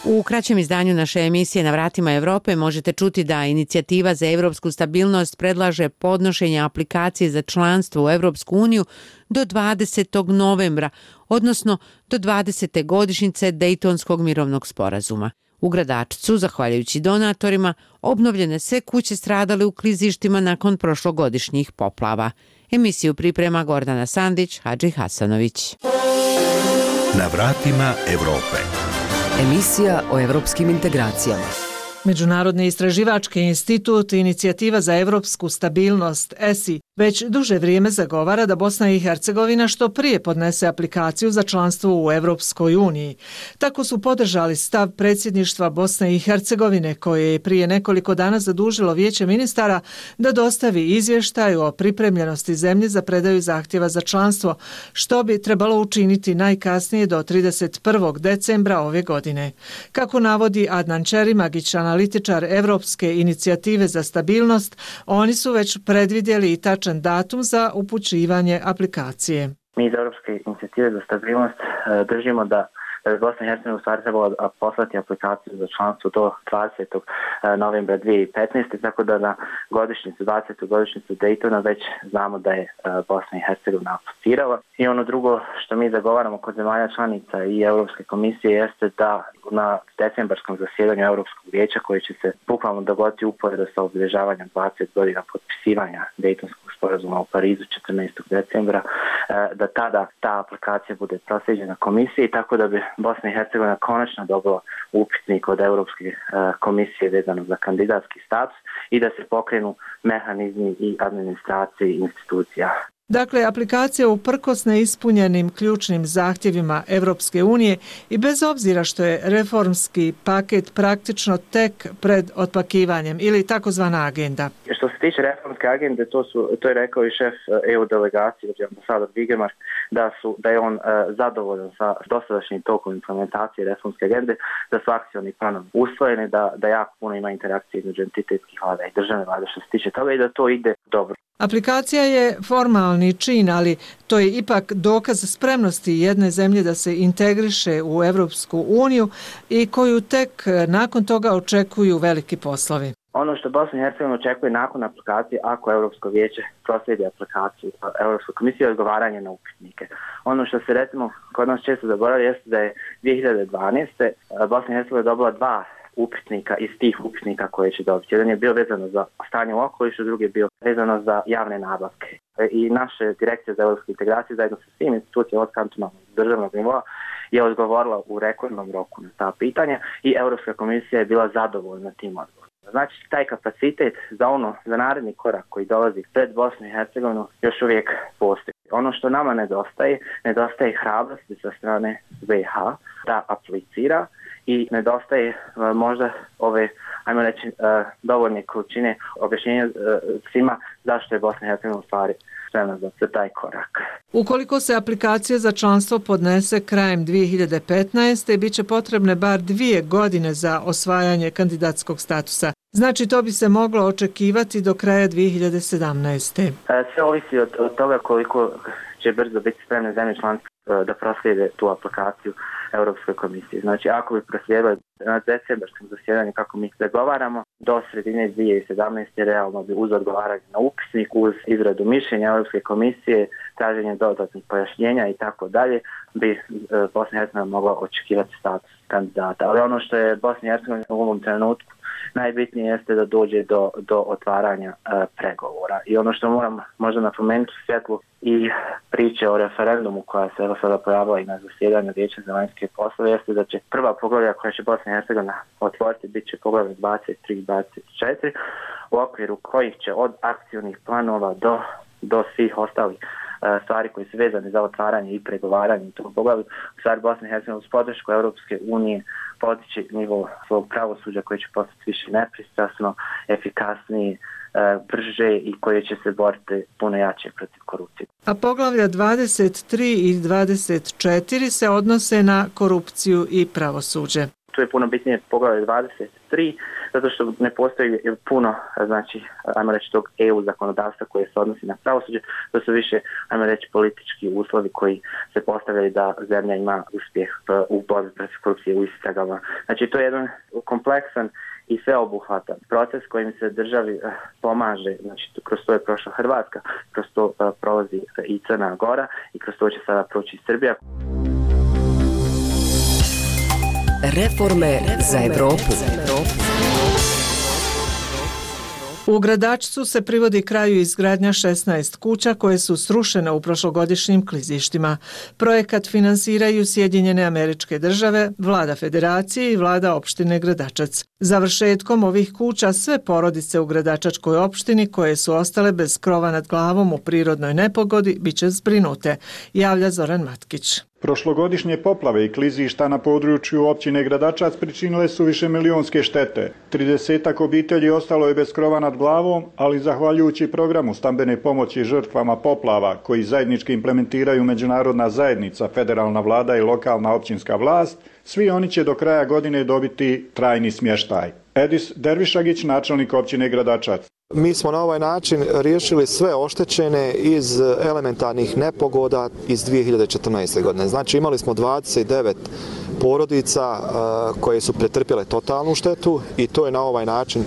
U kraćem izdanju naše emisije Na vratima Evrope možete čuti da inicijativa za evropsku stabilnost predlaže podnošenje aplikacije za članstvo u Evropsku uniju do 20. novembra, odnosno do 20. godišnjice Dejtonskog mirovnog sporazuma. U Gradačcu, zahvaljujući donatorima, obnovljene sve kuće stradale u klizištima nakon prošlogodišnjih poplava. Emisiju priprema Gordana Sandić, Hadži Hasanović. Na vratima Evrope. Emisija o evropskim integracijama. Međunarodni istraživački institut Inicijativa za evropsku stabilnost ESI već duže vrijeme zagovara da Bosna i Hercegovina što prije podnese aplikaciju za članstvo u Evropskoj uniji. Tako su podržali stav predsjedništva Bosne i Hercegovine koje je prije nekoliko dana zadužilo Vijeće ministara da dostavi izvještaj o pripremljenosti zemlje za predaju zahtjeva za članstvo, što bi trebalo učiniti najkasnije do 31. decembra ove godine. Kako navodi Adnan Čerimagić, analitičar Evropske inicijative za stabilnost, oni su već predvidjeli i tačan datum za upućivanje aplikacije. Mi iz Europske inicijative za stabilnost držimo da Bosna i Hercegovina u stvari trebala poslati aplikaciju za članstvo do 20. novembra 2015. Tako da na 20. godišnjicu Daytona već znamo da je Bosna i Hercegovina aplicirala. I ono drugo što mi zagovaramo kod zemalja članica i Europske komisije jeste da na decembarskom zasjedanju Europskog vijeća koji će se bukvalno dogoditi uporedo sa obilježavanjem 20 godina potpisivanja Dejtonskog sporazuma u Parizu 14. decembra, da tada ta aplikacija bude proslijeđena komisiji, tako da bi Bosna i Hercegovina konačno dobila upitnik od Europske komisije vezano za kandidatski status i da se pokrenu mehanizmi i administracije institucija. Dakle, aplikacija uprkos neispunjenim ključnim zahtjevima Evropske unije i bez obzira što je reformski paket praktično tek pred otpakivanjem ili takozvana agenda. Što se tiče reformske agende, to je rekao i šef EU delegacije, ambasador Vigemark, da je on zadovoljan sa dosadašnjim tokom implementacije reformske agende, da su akcioni planovi usvojeni, da jako puno ima interakcije između entitetskih vlada i državne vlade što se tiče toga i da to ide dobro. Aplikacija je formalni čin, ali to je ipak dokaz spremnosti jedne zemlje da se integriše u Evropsku uniju i koju tek nakon toga očekuju veliki poslovi. Ono što Bosna i Hercegovina očekuje nakon aplikacije, ako Europsko vijeće proslijedi aplikaciju Europskoj komisiji, je odgovaranje na upitnike. Ono što se recimo kod nas često zaboravlja jeste da je 2012. Bosna i Hercegovina dobila 2 upitnika iz tih upitnika koje će dobiti. Jedan je bio vezano za stanje u okolišu, drugi je bio vezano za javne nabavke. I naše direkcije za evropsku integraciju zajedno sa svim institucijama od kantonalnog državnog nivoa je odgovorila u rekordnom roku na ta pitanja i Europska komisija je bila zadovoljna tim odgovorom. Znači, taj kapacitet za naredni korak koji dolazi pred Bosnu i Hercegovinu još uvijek postoji. Ono što nama nedostaje hrabrosti sa strane BiH da aplicira i nedostaje možda ove, ajmo reći, dovoljne količine objašnjenja svima zašto je Bosna i Hercegovina u stvari spremna za taj korak. Ukoliko se aplikacija za članstvo podnese krajem 2015. bit će potrebne bar 2 godine za osvajanje kandidatskog statusa. Znači to bi se moglo očekivati do kraja 2017. Sve ovisi od toga koliko će brzo biti spremne zemlje članice da proslijede tu aplikaciju Europskoj komisiji. Znači ako bi proslijedili na decembarskom zasjedanju kako mi zagovaramo, do sredine 2017. realno bi uz odgovaranje na upisnik, uz izradu mišljenja Europske komisije, traženje dodatnih pojašnjenja i tako dalje, bi Bosna i Hercegovina mogla očekivati status kandidata. Ali ono što je Bosna i Hercegovina u ovom trenutku najbitnije jeste da dođe do otvaranja pregovora. I ono što moram možda napomenuti u svjetlu i priče o referendumu koja se sada pojavila i na zasjedanju Vijeća za vanjske poslove jeste da će prva poglavlja koja će Bosna i Hercegovina otvoriti bit će poglavlje 23 i 24 u okviru kojih će od akcijnih planova do svih ostalih stvari koji su vezane za otvaranje i pregovaranje u tom poglavlju. U stvari Bosna i Hercegovina uz podršku Europske unije podići nivo svog pravosuđa koji će postati više nepristrasno, efikasniji, brže i koje će se boriti puno jače protiv korupcije. A poglavlja 23 i 24 se odnose na korupciju i pravosuđe. Tu je puno bitnije poglavlje 23, zato što ne postoji puno, znači, ajmo reći, tog EU zakonodavstva koje se odnosi na pravosuđe, to su više, ajmo reći, politički uslovi koji se postavljaju da zemlja ima uspjeh u borbi protiv korupcije u istragama. Znači, to je jedan kompleksan i sveobuhvatan proces kojim se državi pomaže, znači kroz to je prošla Hrvatska, kroz to prolazi i Crna Gora i kroz to će sada proći Srbija. Reforme za Evropu. U Gradačcu se privodi kraju izgradnja 16 kuća koje su srušene u prošlogodišnjim klizištima. Projekat finansiraju Sjedinjene Američke Države, Vlada Federacije i Vlada opštine Gradačac. Završetkom ovih kuća sve porodice u Gradačačkoj opštini koje su ostale bez krova nad glavom u prirodnoj nepogodi biće zbrinute, javlja Zoran Matkić. Prošlogodišnje poplave i klizišta na području općine Gradačac pričinile su višemilijonske štete. 30 obitelji ostalo je bez krova nad glavom, ali zahvaljujući programu stambene pomoći žrtvama poplava koji zajednički implementiraju međunarodna zajednica, federalna vlada i lokalna općinska vlast, svi oni će do kraja godine dobiti trajni smještaj. Edis Dervišagić, načelnik općine Gradačac. Mi smo na ovaj način riješili sve oštećene iz elementarnih nepogoda iz 2014. godine. Znači imali smo 29 porodica koje su pretrpjele totalnu štetu i to je na ovaj način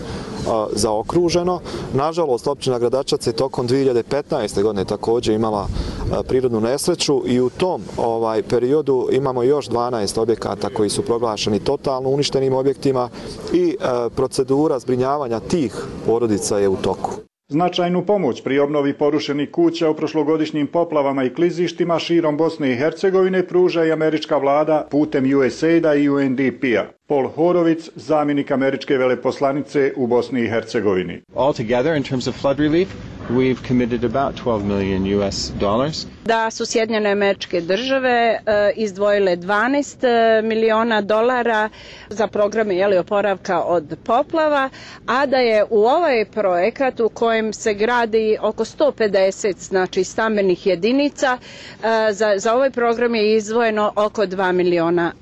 zaokruženo. Nažalost, općina Gradačac je tokom 2015. godine također imala prirodnu nesreću i u tom periodu imamo još 12 objekata koji su proglašeni totalno uništenim objektima i procedura zbrinjavanja tih porodica je u toku. Značajnu pomoć pri obnovi porušenih kuća u prošlogodišnjim poplavama i klizištima širom Bosne i Hercegovine pruža i američka vlada putem USAID-a i UNDP-a. Paul Horovic, zamjenik američke veleposlanice u Bosni i Hercegovini. Altogether, in terms of flood relief, we've committed about $12 million US. Da su Sjedinjene Američke Države izdvojile $12 miliona za programe oporavka od poplava, a da je u ovaj projekat u kojem se gradi oko 150 stambenih jedinica, za ovaj program je izdvojeno oko $2 miliona.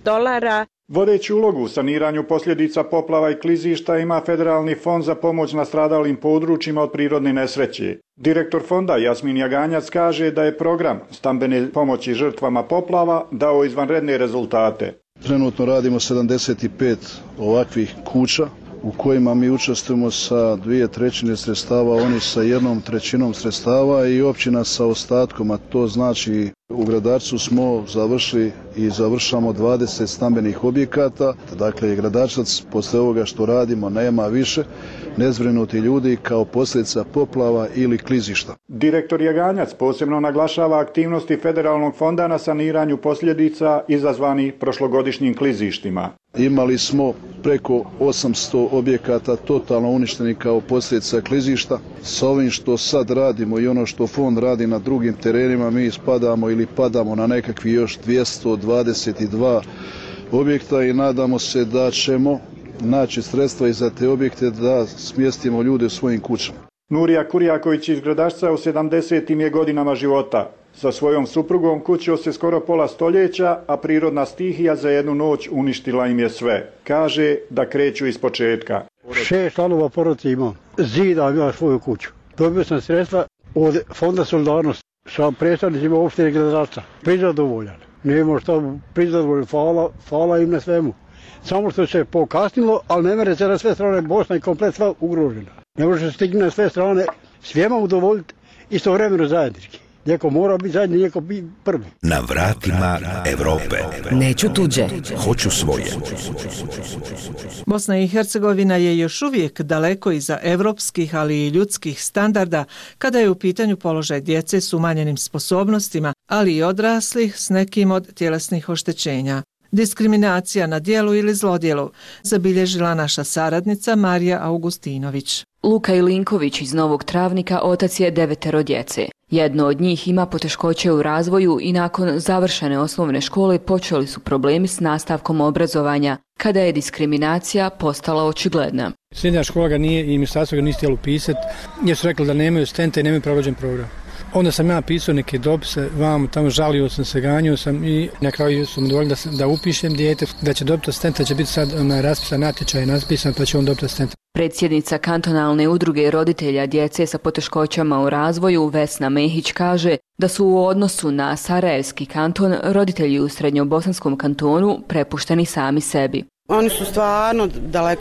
Vodeću ulogu u saniranju posljedica poplava i klizišta ima Federalni fond za pomoć nastradalim područjima od prirodne nesreće. Direktor fonda Jasmin Jaganjac kaže da je program stambene pomoći žrtvama poplava dao izvanredne rezultate. Trenutno radimo 75 ovakvih kuća u kojima mi učestvujemo sa 2/3 sredstava, oni sa 1/3 sredstava i općina sa ostatkom, a to znači u Gradačcu smo završili i završamo 20 stambenih objekata, dakle Gradačac posle ovoga što radimo nema više nezbrinuti ljudi kao posljedica poplava ili klizišta. Direktor Jaganjac posebno naglašava aktivnosti Federalnog fonda na saniranju posljedica izazvanih prošlogodišnjim klizištima. Imali smo preko 800 objekata totalno uništenih kao posljedica klizišta. Sa ovim što sad radimo i ono što fond radi na drugim terenima, mi padamo na nekakvi još 222 objekta i nadamo se da ćemo naći sredstva i za te objekte da smjestimo ljude u svojim kućama. Nurija Kurjaković iz Gradašca u 70. je godinama života. Sa svojom suprugom kućio se skoro pola stoljeća, a prirodna stihija za jednu noć uništila im je sve. Kaže da kreću iz početka. 6 članova porodice imam. Zida ima svoju kuću. Dobio sam sredstva od Fonda Solidarnosti sa predstavnicima opštine Gradašca. Prizadovoljan. Nemo šta prizadovoljan. Hvala im na svemu. Samo što se pokasnilo, ali ne mere se na sve strane Bosna i komplet sva ugrožena. Ne može se stigni na sve strane svijema udovoljiti istovremeno zajednički. Neko mora biti zajedni, neko biti prvi. Na vratima Evrope. Neću tuđe. Hoću svoje. Bosna i Hercegovina je još uvijek daleko iza evropskih, ali i ljudskih standarda kada je u pitanju položaj djece s umanjenim sposobnostima, ali i odraslih s nekim od tjelesnih oštećenja. Diskriminacija na djelu ili zlodjelu zabilježila naša saradnica Marija Augustinović. Luka Ilinković iz Novog Travnika otac je 9 djece. Jedno od njih ima poteškoće u razvoju i nakon završene osnovne škole počeli su problemi s nastavkom obrazovanja, kada je diskriminacija postala očigledna. Srednja škola ga nije i ministarstvo ga nije htjelo upisati, jer su rekli da nemaju stenta i nemaju pravođen program. Onda sam ja pisao neke dopise, tamo žalio sam se, ganjao sam i na kraju su mi dovoljili da upišem dijete, da će dobiti stenta, će biti sad raspisan natječaj, naspisan, pa će on dobiti stenta. Predsjednica kantonalne udruge roditelja djece sa poteškoćama u razvoju Vesna Mehić kaže da su u odnosu na Sarajevski kanton roditelji u Srednjobosanskom kantonu prepušteni sami sebi. Oni su stvarno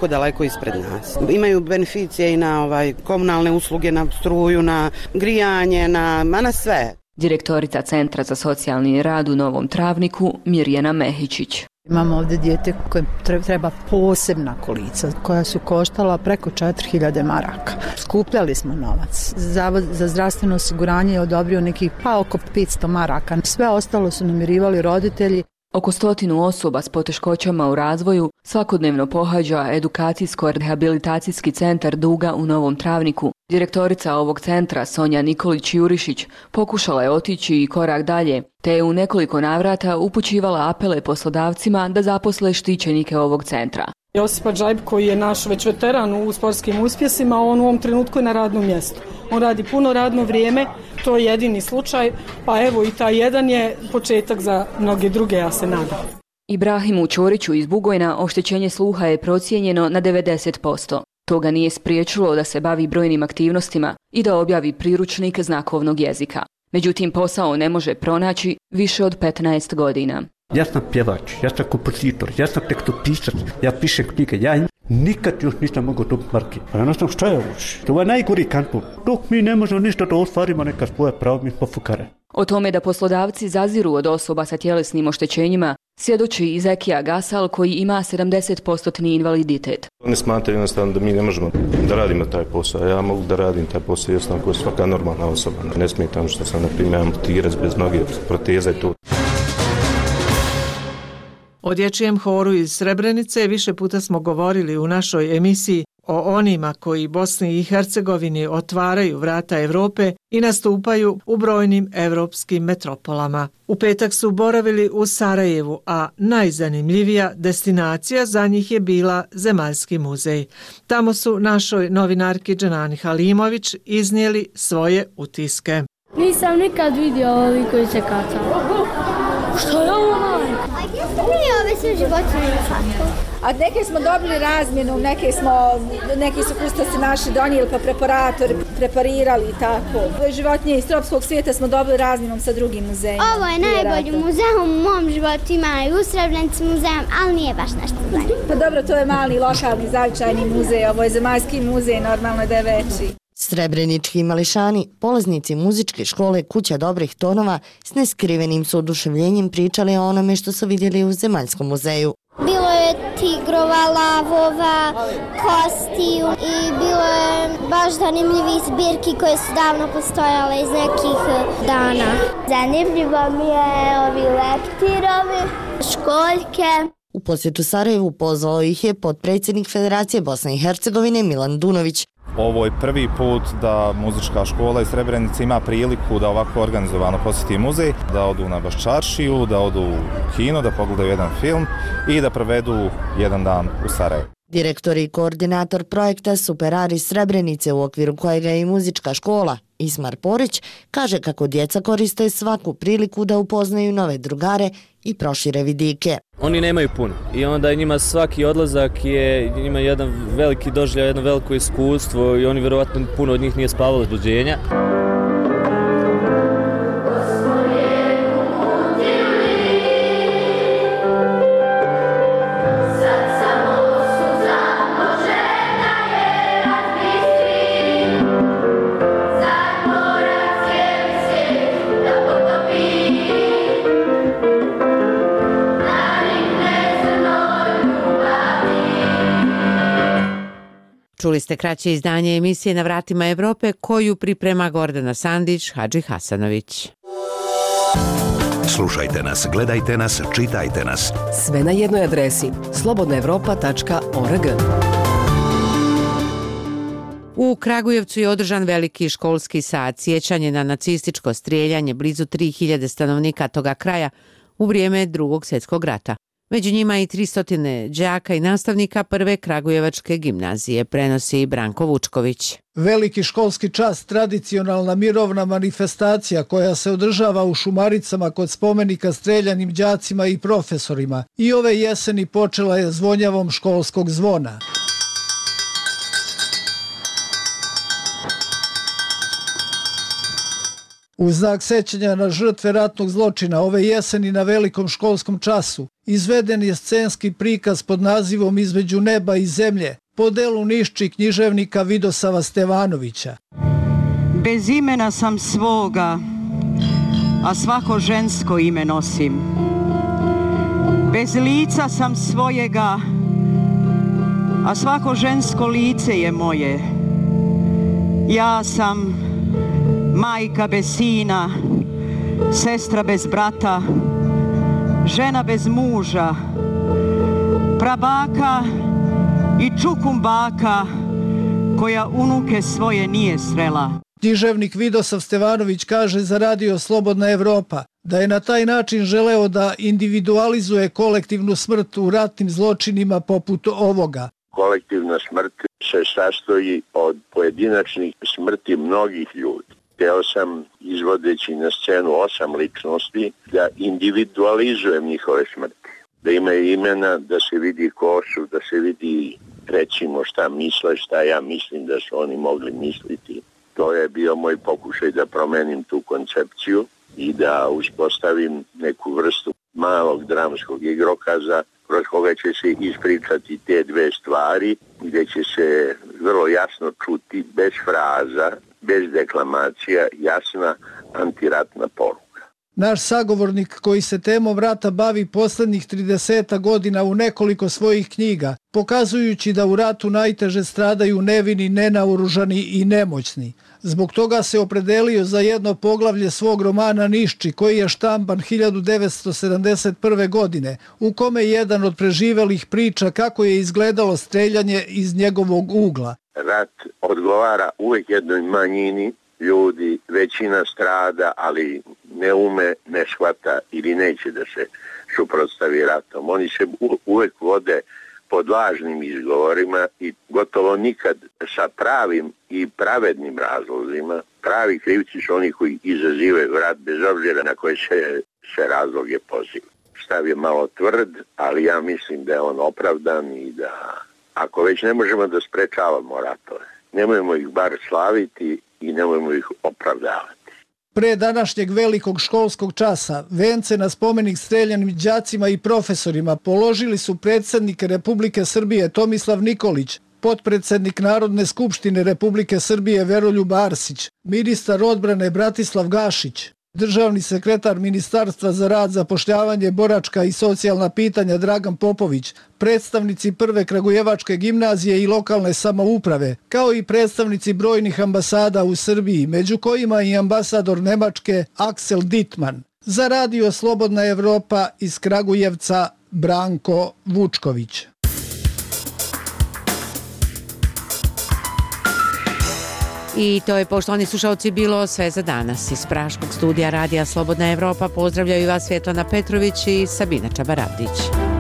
daleko ispred nas. Imaju beneficije i na komunalne usluge, na struju, na grijanje, na sve. Direktorica Centra za socijalni rad u Novom Travniku Mirjana Mehičić. Imamo ovdje dijete koje treba posebna kolica koja su koštala preko 4000 maraka. Skupljali smo novac. Zavod za zdravstveno osiguranje je odobrio nekih oko 500 maraka. Sve ostalo su namirivali roditelji. Oko 100 osoba s poteškoćama u razvoju svakodnevno pohađa edukacijsko-rehabilitacijski centar Duga u Novom Travniku. Direktorica ovog centra Sonja Nikolić-Jurišić pokušala je otići i korak dalje, te je u nekoliko navrata upućivala apele poslodavcima da zaposle štićenike ovog centra. Josipa Džajb, koji je naš već veteran u sportskim uspjesima, on u ovom trenutku je na radnom mjestu. On radi puno radno vrijeme, to je jedini slučaj, pa evo i taj jedan je početak za mnoge druge, ja se nadam. Ibrahimu Ćoriću iz Bugojna oštećenje sluha je procijenjeno na 90%. To ga nije spriječilo da se bavi brojnim aktivnostima i da objavi priručnik znakovnog jezika. Međutim, posao ne može pronaći više od 15 godina. Ja sam pjevač, ja sam kompozitor, ja sam tekstopisac, ja pišem knjige, ja nikad još nisam mogao dobiti marke. A jednostavno šta je ovo? To je najgori kanton. Dok mi ne možemo ništa da ostvarimo neka svoje pravo, mi smo fukare. O tome da poslodavci zaziru od osoba sa tjelesnim oštećenjima svjedoči i Zekija Gasal koji ima 70% invaliditet. Oni smatraju jednostavno da mi ne možemo da radimo taj posao. Ja mogu da radim taj posao jednostavno kao svaka normalna osoba. Ne smijem što sam, na primjer, amputirac bez noge, proteza i to. O dječjem horu iz Srebrenice više puta smo govorili u našoj emisiji o onima koji Bosni i Hercegovini otvaraju vrata Europe i nastupaju u brojnim evropskim metropolama. U petak su boravili u Sarajevu, a najzanimljivija destinacija za njih je bila Zemaljski muzej. Tamo su našoj novinarki Dženani Halimović iznijeli svoje utiske. Nisam nikad vidio ovi koji se kacaju. Što je ovo? Nije ove sve životinje fatko. A neke smo dobili razmjenu, neki su kustosi naši donijeli pa preparirali i tako. Životinje iz tropskog svijeta smo dobili razmjenom sa drugim muzejima. Ovo je najbolji muzej u mom životu, ima i u Srebrenici muzejom, ali nije baš nešto zanimljivo. Pa dobro, to je mali lokalni zavičajni muzej, ovo je Zemaljski muzej, normalno da je veći. Srebrenički mališani, polaznici muzičke škole Kuća dobrih tonova, s neskrivenim su oduševljenjem pričali o onome što su vidjeli u Zemaljskom muzeju. Bilo je tigrova, lavova, kostiju i bilo je baš zanimljivih zbirki koje su davno postojale iz nekih dana. Zanimljivo mi je ovi leptirovi, školjke. U posjetu Sarajevu pozvao ih je potpredsjednik Federacije Bosne i Hercegovine Milan Dunović. Ovo je prvi put da muzička škola iz Srebrenice ima priliku da ovako organizovano posjeti muzej, da odu na Baščaršiju, da odu u kino, da pogledaju jedan film i da provedu jedan dan u Sarajevu. Direktor i koordinator projekta Superari Srebrenice, u okviru kojega je i muzička škola, Ismar Porić, kaže kako djeca koriste svaku priliku da upoznaju nove drugare i prošire vidike. Oni nemaju puno i onda njima svaki odlazak je njima jedan veliki doživljaj, jedno veliko iskustvo i oni vjerovatno puno od njih nije spavalo od buđenja. Čuli ste kraće izdanje emisije Na vratima Evrope koju priprema Gordana Sandić, Hadži Hasanović. Slušajte nas, gledajte nas, čitajte nas. Sve na jednoj adresi slobodnaevropa.org. U Kragujevcu je održan veliki školski sat sjećanje na nacističko strijeljanje blizu 3000 stanovnika toga kraja u vrijeme Drugog svjetskog rata. Među njima i 300 đaka i nastavnika prve Kragujevačke gimnazije, prenosi Branko Vučković. Veliki školski čas, tradicionalna mirovna manifestacija koja se održava u Šumaricama kod spomenika streljanim đacima i profesorima i ove jeseni počela je zvonjavom školskog zvona. U znak sećanja na žrtve ratnog zločina ove jeseni na velikom školskom času izveden je scenski prikaz pod nazivom Između neba i zemlje po delu Nišči književnika Vidosava Stevanovića. Bez imena sam svoga, a svako žensko ime nosim. Bez lica sam svojega, a svako žensko lice je moje. Ja sam majka bez sina, sestra bez brata, žena bez muža, prabaka i čukumbaka koja unuke svoje nije srela. Književnik Vidosav Stevanović kaže za Radio Slobodna Evropa da je na taj način želeo da individualizuje kolektivnu smrt u ratnim zločinima poput ovoga. Kolektivna smrt se sastoji od pojedinačnih smrti mnogih ljudi. Hteo sam, izvodeći na scenu 8 ličnosti, da individualizujem njihove smrti. Da imaju imena, da se vidi ko su, da se vidi recimo šta misle, šta ja mislim da su oni mogli misliti. To je bio moj pokušaj da promenim tu koncepciju i da uspostavim neku vrstu malog dramskog igrokaza kroz koga će se ispričati te dve stvari, gdje će se vrlo jasno čuti, bez fraza, bez deklamacija, jasna antiratna poruka. Naš sagovornik koji se temom rata bavi poslednjih 30 godina u nekoliko svojih knjiga, pokazujući da u ratu najteže stradaju nevini, nenaoružani i nemoćni. Zbog toga se opredelio za jedno poglavlje svog romana Nišči, koji je štampan 1971. godine, u kome jedan od preživelih priča kako je izgledalo streljanje iz njegovog ugla. Rat odgovara uvijek jednoj manjini ljudi, većina strada, ali ne ume, ne shvata ili neće da se suprotstavi ratom. Oni se uvijek vode pod lažnim izgovorima i gotovo nikad sa pravim i pravednim razlozima. Pravi krivci su oni koji izazivaju rat bez obzira na koje se razloge poziva. Stav je malo tvrd, ali ja mislim da je on opravdan i da ako već ne možemo da sprečavamo ratove, nemojmo ih bar slaviti i nemojmo ih opravdavati. Pre današnjeg velikog školskog časa vence na spomenik streljanim đacima i profesorima položili su predsjednik Republike Srbije Tomislav Nikolić, potpredsjednik Narodne skupštine Republike Srbije Veroljub Arsić, ministar odbrane Bratislav Gašić, državni sekretar Ministarstva za rad, zapošljavanje, boračka i socijalna pitanja Dragan Popović, predstavnici prve Kragujevačke gimnazije i lokalne samouprave, kao i predstavnici brojnih ambasada u Srbiji, među kojima i ambasador Nemačke Aksel Dittmann. Za Radio Slobodna Evropa iz Kragujevca Branko Vučković. I to je, poštovani slušalci, bilo sve za danas. Iz Praškog studija Radija Slobodna Evropa pozdravljaju vas Svjetlana Petrović i Sabina Čabaravdić.